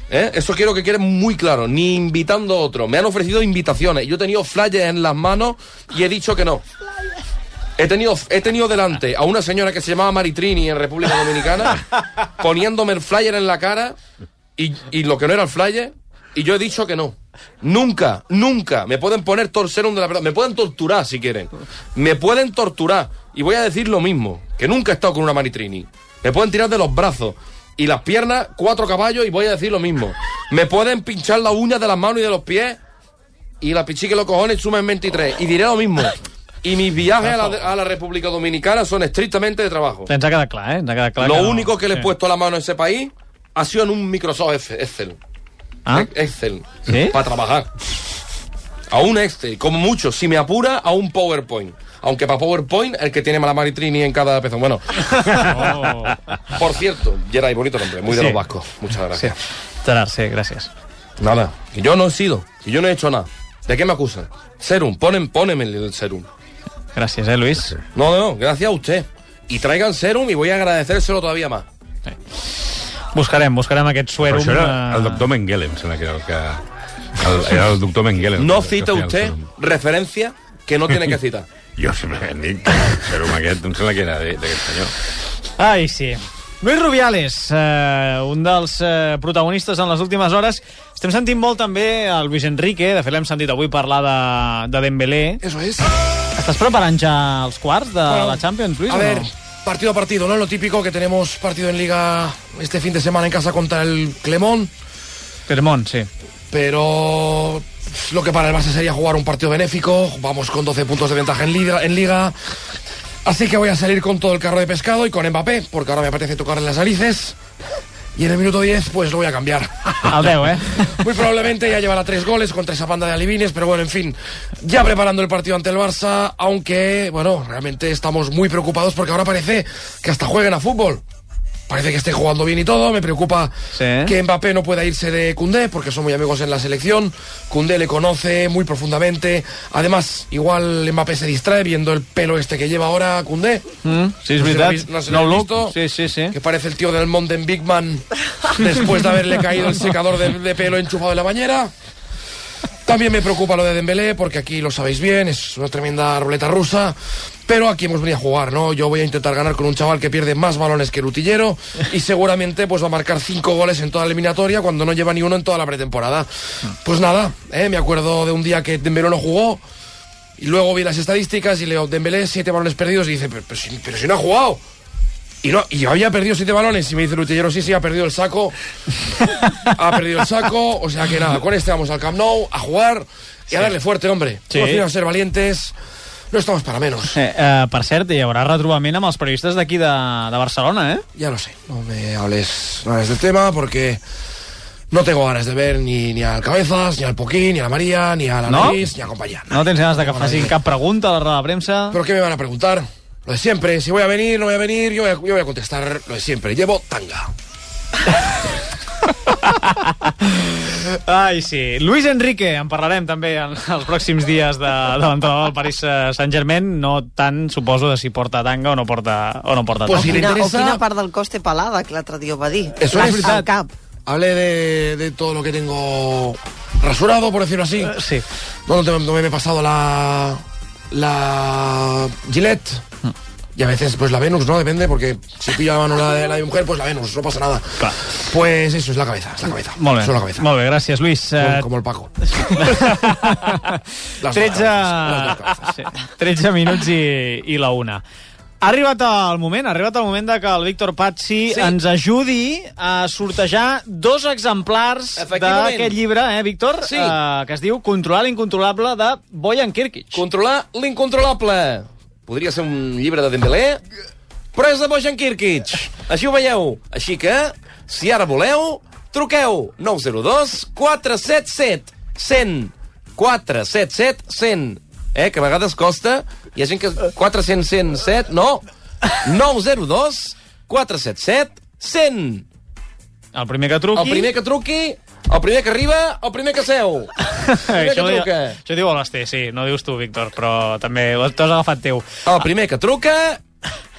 S22: ¿Eh? Eso quiero que quede muy claro. Ni invitando a otro. Me han ofrecido invitaciones. Yo he tenido flyers en las manos y he dicho que no. He tenido, he tenido delante a una señora que se llamaba Maritrini en República Dominicana poniéndome el flyer en la cara y, y lo que no era el flyer, y yo he dicho que no. Nunca, nunca. Me pueden poner torserum de la verdad. Me pueden torturar si quieren. Me pueden torturar. Y voy a decir lo mismo, que nunca he estado con una Maritrini. Me pueden tirar de los brazos y las piernas, cuatro caballos, y voy a decir lo mismo. Me pueden pinchar las uñas de las manos y de los pies y la pichique los cojones sumen veintitrés. Y diré lo mismo. Y mis viajes a la, a la República Dominicana son estrictamente de trabajo.
S2: Ens ha quedat clar, eh? Ens ha quedat clar
S22: Lo
S2: que
S22: único
S2: no.
S22: que le he
S2: Sí.
S22: puesto la mano a ese país ha sido en un Microsoft Excel.
S2: ¿Ah?
S22: Excel.
S2: ¿Sí?
S22: Para trabajar. A un Excel. Como mucho, si me apura, a un PowerPoint. Aunque para PowerPoint, el que tiene la Maritrini en cada pezón. Bueno. Oh. Por cierto, Geray, bonito nombre, muy de
S2: Sí.
S22: los vascos. Muchas gracias.
S2: Sí. Gerard, sí, gràcies.
S22: Nada, que yo no he sido, que yo no he hecho nada. ¿De qué me acusan? Serum, ponen, póneme el serum.
S2: Gràcies, eh, Luis?
S22: No, no, gracias a usted. Y traigan serum y voy a agradecérselo todavía más.
S2: Sí. Buscarem, buscarem aquest suerum.
S13: Però això era el
S2: eh,
S13: doctor Mengele, em sembla que era el que... El, era el doctor Mengele.
S22: No
S13: que,
S22: cita
S13: que
S22: usted referencia que no tiene que citar.
S13: Jo simplement dic que el serum aquest em sembla que era d'aquest senyor.
S2: Ai, sí. Luis Rubiales, eh, un dels eh, protagonistes en les últimes hores. Estem sentint molt també el Luis Enrique, de fet l'hem sentit avui parlar de, de Dembélé.
S1: Eso es.
S2: Estàs preparant ja els quarts de
S1: Bueno,
S2: la Champions, Luis,
S1: a
S2: o
S1: ver,
S2: no?
S1: partido a partido, ¿no? Lo típico que tenemos partido en Liga este fin de semana en casa contra el Clermont.
S2: Clermont, sí.
S1: Pero lo que para el Barça sería jugar un partido benéfico. Vamos con doce puntos de ventaja en Liga. En Liga. Así que voy a salir con todo el carro de pescado y con Mbappé, porque ahora me apetece tocarle las narices. Y en el minuto diez, pues lo voy a cambiar.
S2: Al deu, eh?
S1: Muy probablemente ya llevará tres goles contra esa banda de alivines, pero bueno, en fin, ya preparando el partido ante el Barça, aunque, bueno, realmente estamos muy preocupados porque ahora parece que hasta jueguen a fútbol. Parece que esté jugando bien y todo. Me preocupa
S2: sí.
S1: que Mbappé no pueda irse de Koundé, porque son muy amigos en la selección. Koundé le conoce muy profundamente. Además, igual Mbappé se distrae viendo el pelo este que lleva ahora Koundé.
S2: Mm, sí, es
S1: no
S2: veritat.
S1: Se no se
S2: no
S1: lo
S2: look.
S1: visto,
S2: sí, sí, sí.
S1: que parece el tío del Mountain Big Man después de haberle caído el secador de, de pelo enchufado en la bañera. También me preocupa lo de Dembélé, porque aquí lo sabéis bien, es una tremenda ruleta rusa. Pero aquí hemos venido a jugar, ¿no? Yo voy a intentar ganar con un chaval que pierde más balones que el utillero y seguramente pues va a marcar cinco goles en toda la eliminatoria cuando no lleva ni uno en toda la pretemporada. Pues nada, ¿eh? Me acuerdo de un día que Dembélé no jugó y luego vi las estadísticas y leo Dembélé siete balones perdidos y dice, pero, pero, si, pero si no ha jugado. Y, no, y yo había perdido siete balones y me dice el utillero, sí, sí, ha perdido el saco. Ha perdido el saco, o sea que nada, con este vamos al Camp Nou a jugar y a darle fuerte, hombre.
S2: Sí.
S1: Hemos venido a ser valientes. No estamos para menos.
S2: Eh, eh, per cert, hi haurà retrobament amb els periodistes d'aquí de, de Barcelona, eh?
S1: Ya lo sé, no me hables, no hables del tema porque no tengo ganas de ver ni, ni al Cabezas, ni al Poquín, ni a la María, ni a la
S2: ¿No?
S1: Nariz, ni a compañía.
S2: No tens ganes de que facin cap pregunta a la roda de premsa?
S1: ¿Pero qué me van a preguntar? Lo de siempre, si voy a venir, no voy a venir, yo voy a, yo voy a contestar lo de siempre. Llevo tanga.
S2: Ai, sí. Luis Enrique, en parlarem també en els pròxims dies de, de l'entrenador del Paris Saint-Germain, no tant, suposo, de si porta tanga o no porta, o no porta
S14: Pues
S2: tanga.
S14: si quina, o quina part del cos té pelada, que l'altre dia ho va dir.
S1: Eso
S14: Al-
S1: es verdad.
S14: al cap.
S1: Hablé de, de todo lo que tengo rasurado, por decirlo así.
S2: Uh, sí.
S1: No, no, no me he pasado la, la Gillette. Y a veces, pues la Venus, ¿no? Depende, porque si pillo la mano la de la de mi mujer, pues la Venus, no pasa nada.
S2: Clar.
S1: Pues eso, es la cabeza, es la cabeza.
S2: Molt bé,
S1: Solo la cabeza.
S2: molt bé, gràcies, Luis.
S1: Como, como el Paco. Las dos
S2: tretze,
S1: cabezas, las dos cabezas.
S2: sí, tretze minuts i, i la una. Ha arribat el moment, ha arribat el moment de que el Víctor Pazzi
S22: Sí.
S2: ens ajudi a sortejar dos exemplars
S22: Efectivament.
S2: d'aquest llibre, eh, Víctor?
S22: Sí.
S2: Eh, que es diu Controlar l'incontrolable de Bojan Kirkic.
S22: Controlar l'incontrolable. Podria ser un llibre de Dembélé, però és de Bojan Kirkic. Així ho veieu. Així que, si ara voleu, truqueu nou zero dos quatre set set cent quatre set set cent. Eh, que a vegades costa. Hi ha gent que... quatre-cents cent set, no. nou zero dos quatre set set cent.
S2: El primer que truqui...
S22: El primer que truqui, el primer que arriba, el primer que seu.
S2: Primer que truca. Això diu l'Ester, sí, no dius tu, Víctor, però també t'ho has agafat teu.
S22: El primer que truca...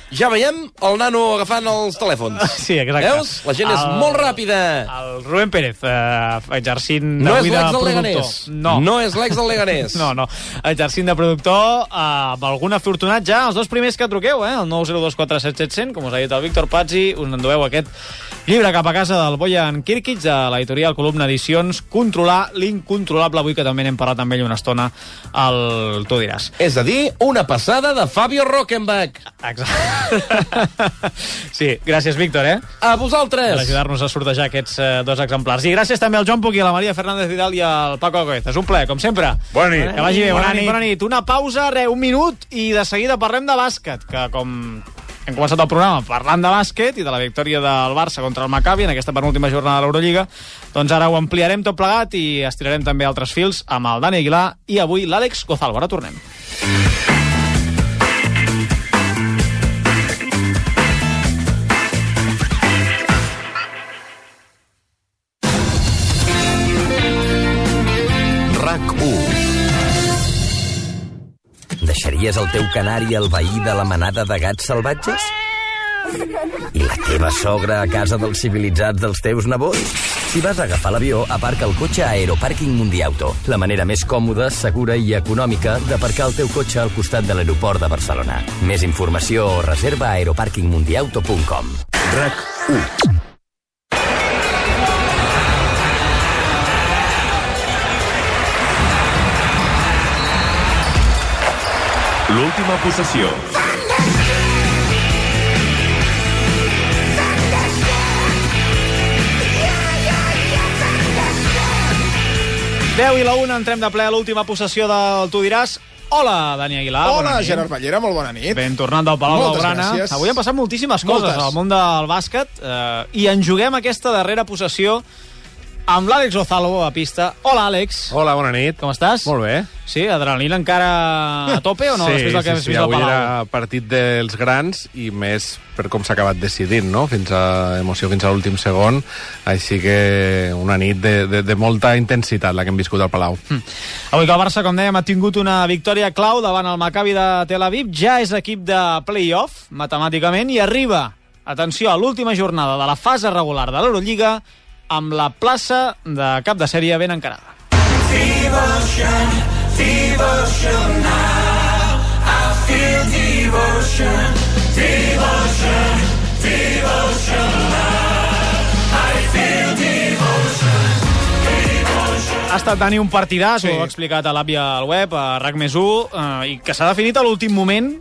S22: Ja veiem el nano agafant els telèfons.
S2: Sí, exacte.
S22: Veus? La gent és
S2: el,
S22: molt ràpida.
S2: El Rubén Pérez, eh, exercint
S22: no
S2: d'avui de
S22: productor.
S2: productor.
S22: Leganés.
S2: No.
S22: no és l'ex del Leganés.
S2: No, no. Exercint de productor, eh, amb algun afortunat ja, els dos primers que truqueu, eh? El nou zero dos quatre set set zero zero, com us ha dit el Víctor Pazzi, us endueu aquest llibre cap a casa del Bojan Kirkic, de l'editorial Columna Edicions, Controlar l'incontrolable, avui que també n'hem parlat amb ell una estona, el tu diràs.
S22: És a dir, una passada de Fabio Rockenbach.
S2: Exacte. Sí, gràcies, Víctor, eh?
S22: A vosaltres.
S2: Per ajudar-nos a sortejar aquests eh, dos exemplars. I gràcies també al Joan Puc i a la Maria Fernández Vidal i al Paco Gómez. És un plaer, com sempre.
S13: Bona nit.
S2: Que vagi bé, bona, bona nit. nit. Bona nit. Una pausa, re, un minut, i de seguida parlem de bàsquet, que com hem començat el programa parlant de bàsquet i de la victòria del Barça contra el Maccabi en aquesta penúltima jornada de l'Eurolliga, doncs ara ho ampliarem tot plegat i estirarem també altres fils amb el Dani Aguilar i avui l'Àlex Gozalvo. Ara tornem.
S4: Deixaries el teu canari al veí de la manada de gats salvatges? I la teva sogra a casa dels civilitzats dels teus nebots? Si vas a agafar l'avió, aparca el cotxe a Aeropàrquing Mundiauto, la manera més còmoda, segura i econòmica d'aparcar el teu cotxe al costat de l'aeroport de Barcelona. Més informació o reserva a aeropàrquing mundiauto punt com. RAC u.
S11: L'última possessió.
S2: deu i la una, entrem de ple a l'última possessió del Tu diràs. Hola, Dani Aguilar.
S5: Hola, Gerard Ballera, molt bona nit.
S2: Ben tornant del Palau
S5: Moltes
S2: Blaugrana.
S5: gràcies.
S2: Avui han passat moltíssimes coses
S5: Moltes.
S2: al món del bàsquet eh, i en juguem aquesta darrera possessió amb l'Àlex Gozalvo a pista. Hola, Àlex.
S23: Hola, bona nit.
S2: Com estàs?
S23: Molt bé.
S2: Sí, adrenalina encara a tope o no?
S23: Sí,
S2: Després del que
S23: sí,
S2: has
S23: sí,
S2: vist al
S23: avui
S2: Palau.
S23: era partit dels grans i més per com s'ha acabat decidint, no? Fins a emoció fins a l'últim segon. Així que una nit de, de, de molta intensitat la que hem viscut al Palau.
S2: Mm. Avui que el Barça, com dèiem, ha tingut una victòria clau davant el Maccabi de Tel Aviv. Ja és equip de play-off, matemàticament, i arriba, atenció, a l'última jornada de la fase regular de l'Eurolliga amb la plaça de cap de sèrie ben encarada.
S24: Devotion, devotion now. I feel devotion, devotion, devotion now. I feel devotion, devotion.
S2: Ha estat, Dani, un partidàs, sí. Ho ha explicat a l'Àvia al web, a RAC més u, eh, i que s'ha definit a l'últim moment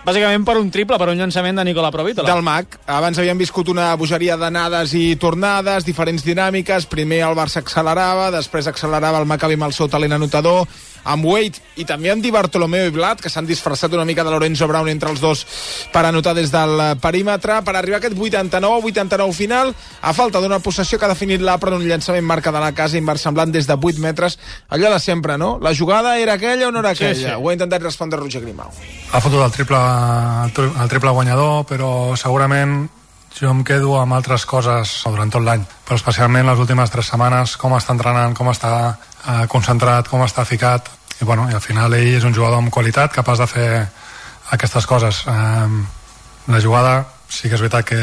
S2: bàsicament per un triple, per un llançament de Nicola Provítola.
S5: Del Mac. Abans havíem viscut una bogeria d'anades i tornades, diferents dinàmiques. Primer el Barça accelerava, després accelerava el Maccabi amb el seu talent anotador, amb Wade i també amb Di Bartolomeo i Vlad, que s'han disfressat una mica de Lorenzo Brown entre els dos per anotar des del perímetre, per arribar a aquest vuitanta-nou a vuitanta-nou final, a falta d'una possessió que ha definit l'Apra d'un llançament marca de la casa inversemblant des de vuit metres. Allò de sempre, no? La jugada era aquella o no era aquella? Sí, sí. Ho ha intentat respondre Roger Grimau.
S25: Ha fotut el triple, el triple guanyador, però segurament jo em quedo amb altres coses durant tot l'any, però especialment les últimes tres setmanes, com està entrenant, com està eh, concentrat, com està ficat, i, bueno, i al final ell és un jugador amb qualitat, capaç de fer aquestes coses. Eh, la jugada sí que és veritat que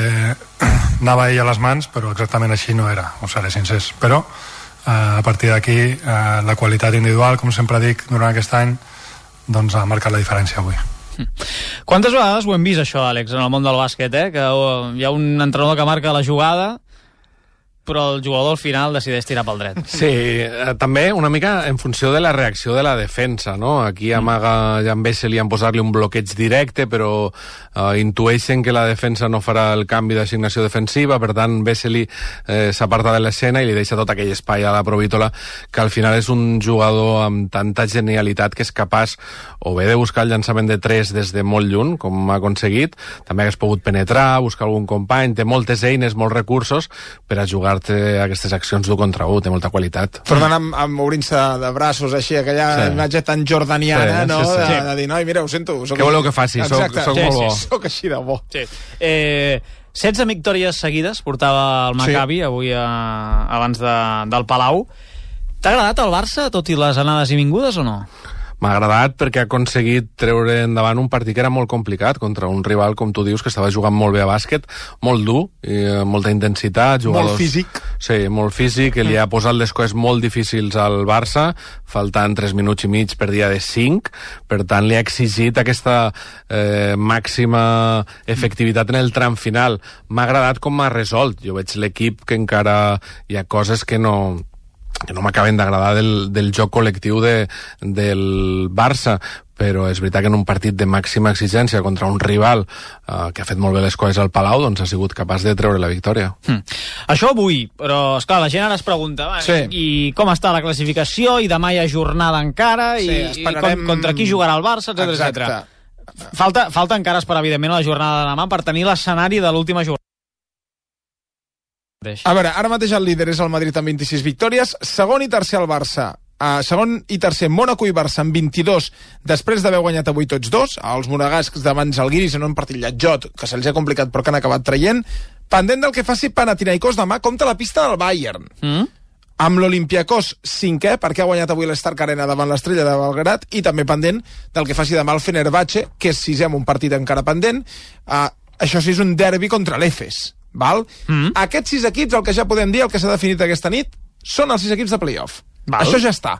S25: anava ell a les mans, però exactament així no era, us seré sincers, però eh, a partir d'aquí eh, la qualitat individual, com sempre dic, durant aquest any, doncs ha marcat la diferència avui.
S2: Quantes vegades ho hem vist, això, Àlex, en el món del bàsquet, eh? Que hi ha un entrenador que marca la jugada, però el jugador al final decideix tirar pel dret.
S23: Sí, eh, també una mica en funció de la reacció de la defensa, no? Aquí amaga Jan Vesely en posar-li un bloqueig directe, però eh, intueixen que la defensa no farà el canvi d'assignació defensiva, per tant Vesely eh, s'aparta de l'escena i li deixa tot aquell espai a la Provítola, que al final és un jugador amb tanta genialitat que és capaç o bé de buscar el llançament de tres des de molt lluny, com ha aconseguit, també hagués pogut penetrar, buscar algun company, té moltes eines, molts recursos per a jugar aquestes accions d'un contra un, té molta qualitat.
S5: Tornant amb, amb obrint-se de braços així, aquella sí. imatge tan jordaniana, sí, no? Sí, sí. De, de dir, noi, mira, ho sento. Soc...
S23: Què voleu que faci? Soc, soc
S5: sí,
S23: molt bo.
S5: Sí, soc així de bo.
S2: Sí. Eh, setze victòries seguides portava el Maccabi, sí. avui a, abans de, del Palau. T'ha agradat el Barça, tot i les anades i vingudes, o no?
S23: M'ha agradat perquè ha aconseguit treure endavant un partit que era molt complicat contra un rival, com tu dius, que estava jugant molt bé a bàsquet, molt dur, i molta intensitat, jugadors...
S5: Molt físic.
S23: Sí, molt físic, que li ha posat les coses molt difícils al Barça, faltant tres minuts i mig per dia de cinc, per tant li ha exigit aquesta eh, màxima efectivitat en el tram final. M'ha agradat com m'ha resolt. Jo veig l'equip que encara hi ha coses que no... que no m'acaben d'agradar del, del joc col·lectiu de, del Barça, però és veritat que en un partit de màxima exigència contra un rival eh, que ha fet molt bé les coses al Palau, doncs ha sigut capaç de treure la victòria.
S2: Hm. Això avui, però esclar, la gent ara es pregunta va, sí. i com està la classificació, i demà hi ha jornada encara, sí, i, esperarem... i com, contra qui jugarà el Barça, etcètera, etcètera. Falta, falta encara esperar, evidentment, la jornada de demà per tenir l'escenari de l'última jornada.
S5: A veure, ara mateix el líder és el Madrid amb vint-i-sis victòries, segon i tercer el Barça, uh, segon i tercer Mónaco i Barça amb vint-i-dos, després d'haver guanyat avui tots dos, els monegascs davant Žalgiris en un partit lletjot, que se'ls ha complicat però que han acabat traient, pendent del que faci Panathinaikos demà contra la pista del Bayern. Mm? Amb l'Olympiakos cinquè, perquè ha guanyat avui l'Stark Arena davant l'Estrella de Belgrat, i també pendent del que faci demà el Fenerbahce, que és sisè amb un partit encara pendent. Uh, això sí, és un derbi contra l'Efes. Val? Mm. Aquests sis equips, el que ja podem dir, el que s'ha definit aquesta nit, són els sis equips de playoff. Val. Això ja està.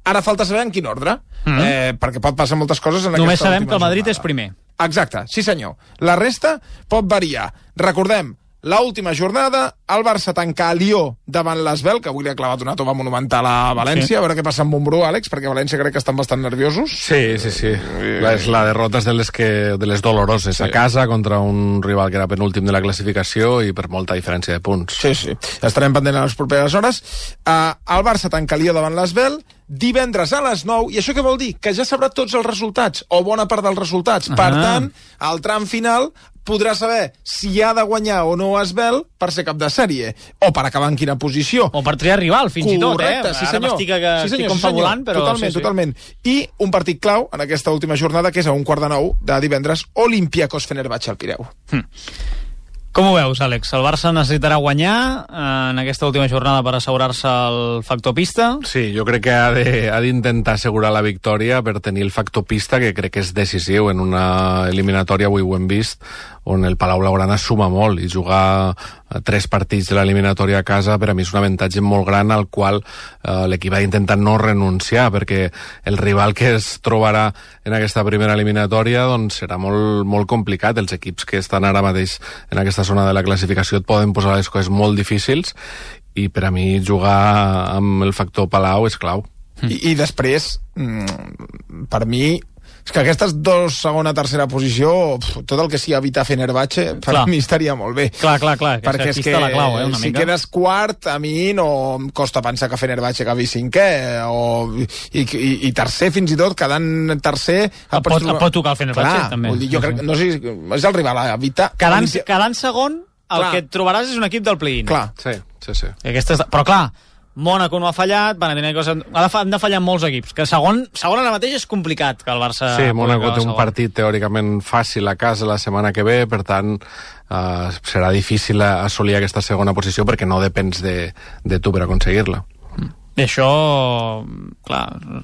S5: Ara falta saber en quin ordre, mm. eh, perquè pot passar moltes coses en
S2: Només
S5: aquesta
S2: sabem que el Madrid
S5: jornada.
S2: És primer.
S5: Exacte, sí senyor. La resta pot variar. Recordem, l'última jornada, el Barça tanca a Lió davant l'Asvel, que avui li ha clavat una tova monumental a València, sí. A veure què passa amb Montbrú, Àlex, perquè a València crec que estan bastant nerviosos.
S23: Sí, sí, sí. La, és la derrota de les, que, de les doloroses, sí. A casa contra un rival que era penúltim de la classificació i per molta diferència de punts.
S5: Sí, sí. Estarem pendent a les properes hores. Uh, el Barça tanca Lió davant l'Asvel, divendres a les nou, i això què vol dir? Que ja sabrà tots els resultats, o bona part dels resultats. Uh-huh. Per tant, al tram final podrà saber si ha de guanyar o no Asvel per ser cap de sèrie, o per acabar en quina posició.
S2: O per triar rival, fins
S5: Correcte,
S2: i tot, eh?
S5: Sí,
S2: Ara m'estic, que,
S5: sí, senyor,
S2: estic confabulant,
S5: sí,
S2: però...
S5: Totalment,
S2: sí, sí.
S5: totalment. I un partit clau en aquesta última jornada, que és a un quart de nou de divendres, Olympiakos Fenerbahce al Pireu.
S2: Hm. Com ho veus, Àlex? El Barça necessitarà guanyar en aquesta última jornada per assegurar-se el factor pista?
S23: Sí, jo crec que ha d'intentar assegurar la victòria per tenir el factor pista, que crec que és decisiu en una eliminatòria, avui ho hem vist, on el Palau Blaugrana suma molt, i jugar tres partits de l'eliminatòria a casa per a mi és un avantatge molt gran al qual eh, l'equip ha d'intentar no renunciar, perquè el rival que es trobarà en aquesta primera eliminatòria doncs serà molt, molt complicat. Els equips que estan ara mateix en aquesta zona de la classificació et poden posar les coses molt difícils, i per a mi jugar amb el factor Palau és clau.
S5: I, i després, mm, per mi, és que aquestes dos, segona, tercera posició, pf, tot el que sigui evitar Fenerbahce, per clar. Mi estaria molt bé.
S2: Clar, clar, clar.
S5: Perquè és que
S2: la clau, eh, una
S5: si
S2: mica.
S5: quedes quart, a mi no em costa pensar que Fenerbahce acabi cinquè, o, i, i, i tercer fins i tot, quedant tercer...
S2: Et pot, et pot tocar el Fenerbahce,
S5: clar,
S2: també.
S5: Vull dir, jo crec, no sé, és el rival a evitar...
S2: Quedant, quedant segon, el clar. Que et trobaràs és un equip del play-in.
S5: Clar.
S23: Sí, sí, sí.
S2: Aquesta és... Però clar, Mónaco no ha fallat, Panathinaikos ha de, han de fallar molts equips, que segon, segon ara mateix és complicat que el Barça...
S23: Sí, Mónaco té un segon. Partit teòricament fàcil a casa la setmana que ve, per tant eh, serà difícil assolir aquesta segona posició perquè no depens de, de tu per aconseguir-la.
S2: I això, clar,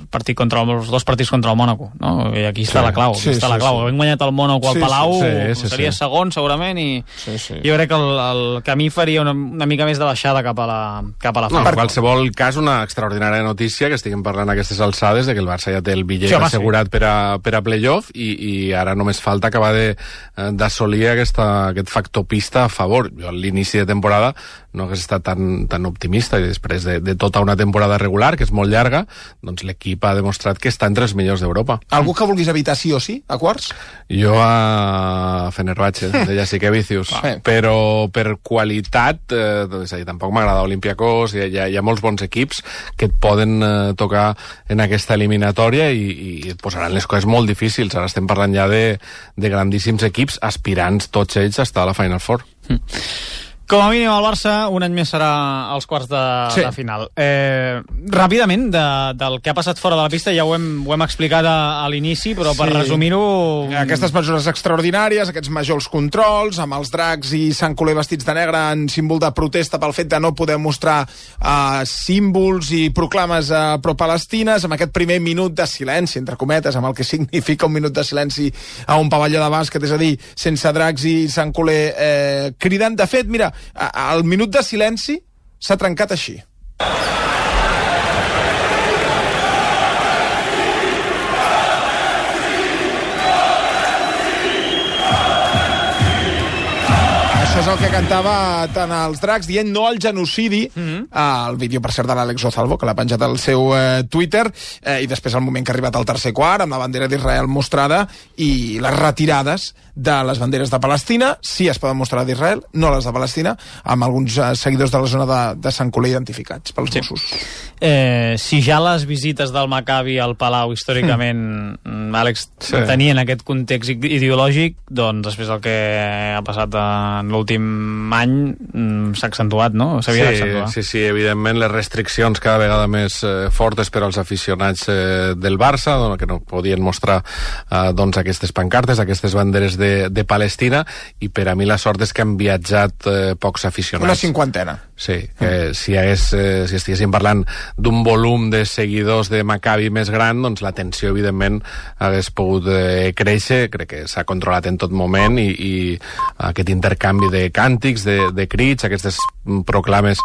S2: partit contra els dos partits contra el Mónaco, no? I aquí està sí, la clau, sí, està sí, la clau. Sí. Hem guanyat el Mónaco al sí, Palau, sí, sí, sí, seria sí. segon segurament, i sí, sí. jo crec que el, el camí faria una, una mica més de baixada cap a la cap a la
S23: no, en qualsevol cas, una extraordinària notícia que estiguem parlant a aquestes alçades de que el Barça ja té el bitllet sí, assegurat sí. per a, per a playoff, i, i ara només falta acabar d'assolir aquesta, aquest factor pista a favor. Jo a l'inici de temporada no hagués estat tan, tan optimista, i després de, de tota una temporada regular, que és molt llarga, doncs l'equip ha demostrat que està entre els millors d'Europa.
S5: Algú que vulguis evitar sí o sí, a quarts?
S23: Jo a Fenerbahce, de Jasikevičius, ah. però per qualitat, eh, és a dir, tampoc m'agrada Olympiakos, hi ha, hi ha molts bons equips que et poden eh, tocar en aquesta eliminatòria i, i et posaran les coses molt difícils. Ara estem parlant ja de, de grandíssims equips, aspirants tots ells a estar a la Final Four.
S2: Mm. Com a mínim el Barça un any més serà als quarts de, sí. de final. Eh, ràpidament, de, del que ha passat fora de la pista, ja ho hem, ho hem explicat a, a l'inici, però per sí. resumir-ho...
S5: Aquestes mesures extraordinàries, aquests majors controls, amb els dracs i Sant Coler vestits de negre en símbol de protesta pel fet de no poder mostrar eh, símbols i proclames eh, pro-palestines, amb aquest primer minut de silenci, entre cometes, amb el que significa un minut de silenci a un pavelló de bàsquet, és a dir, sense dracs i Sant Coler eh, cridant. De fet, mira, el minut de silenci s'ha trencat així. Això és el que cantava tant els dracs, dient no al genocidi. Mm-hmm. El vídeo, per cert, de l'Àlex Ozalvo, que l'ha penjat al seu eh, Twitter, eh, i després el moment que ha arribat al tercer quart, amb la bandera d'Israel mostrada, i les retirades de les banderes de Palestina, sí es poden mostrar d'Israel, no les de Palestina, amb alguns eh, seguidors de la zona de, de Sant Coler identificats pels sí. Mossos.
S2: Eh, si ja les visites del Maccabi al Palau, històricament, mm. Àlex, sí. tenien aquest context ideològic, doncs després el que ha passat en l'últim any mm, s'ha accentuat, no? S'havia
S23: sí,
S2: d'accentuar.
S23: Sí, sí, evidentment les restriccions cada vegada més eh, fortes per als aficionats eh, del Barça, doncs, que no podien mostrar eh, doncs, aquestes pancartes, aquestes banderes de, de Palestina, i per a mi la sort és que han viatjat eh, pocs aficionats.
S5: Una cinquantena.
S23: Sí, que mm. si, hagués, eh, si estiguéssim parlant d'un volum de seguidors de Maccabi més gran, doncs la tensió, evidentment, hagués pogut eh, créixer. Crec que s'ha controlat en tot moment, i, i aquest intercanvi de càntics, de, de crits, aquestes proclames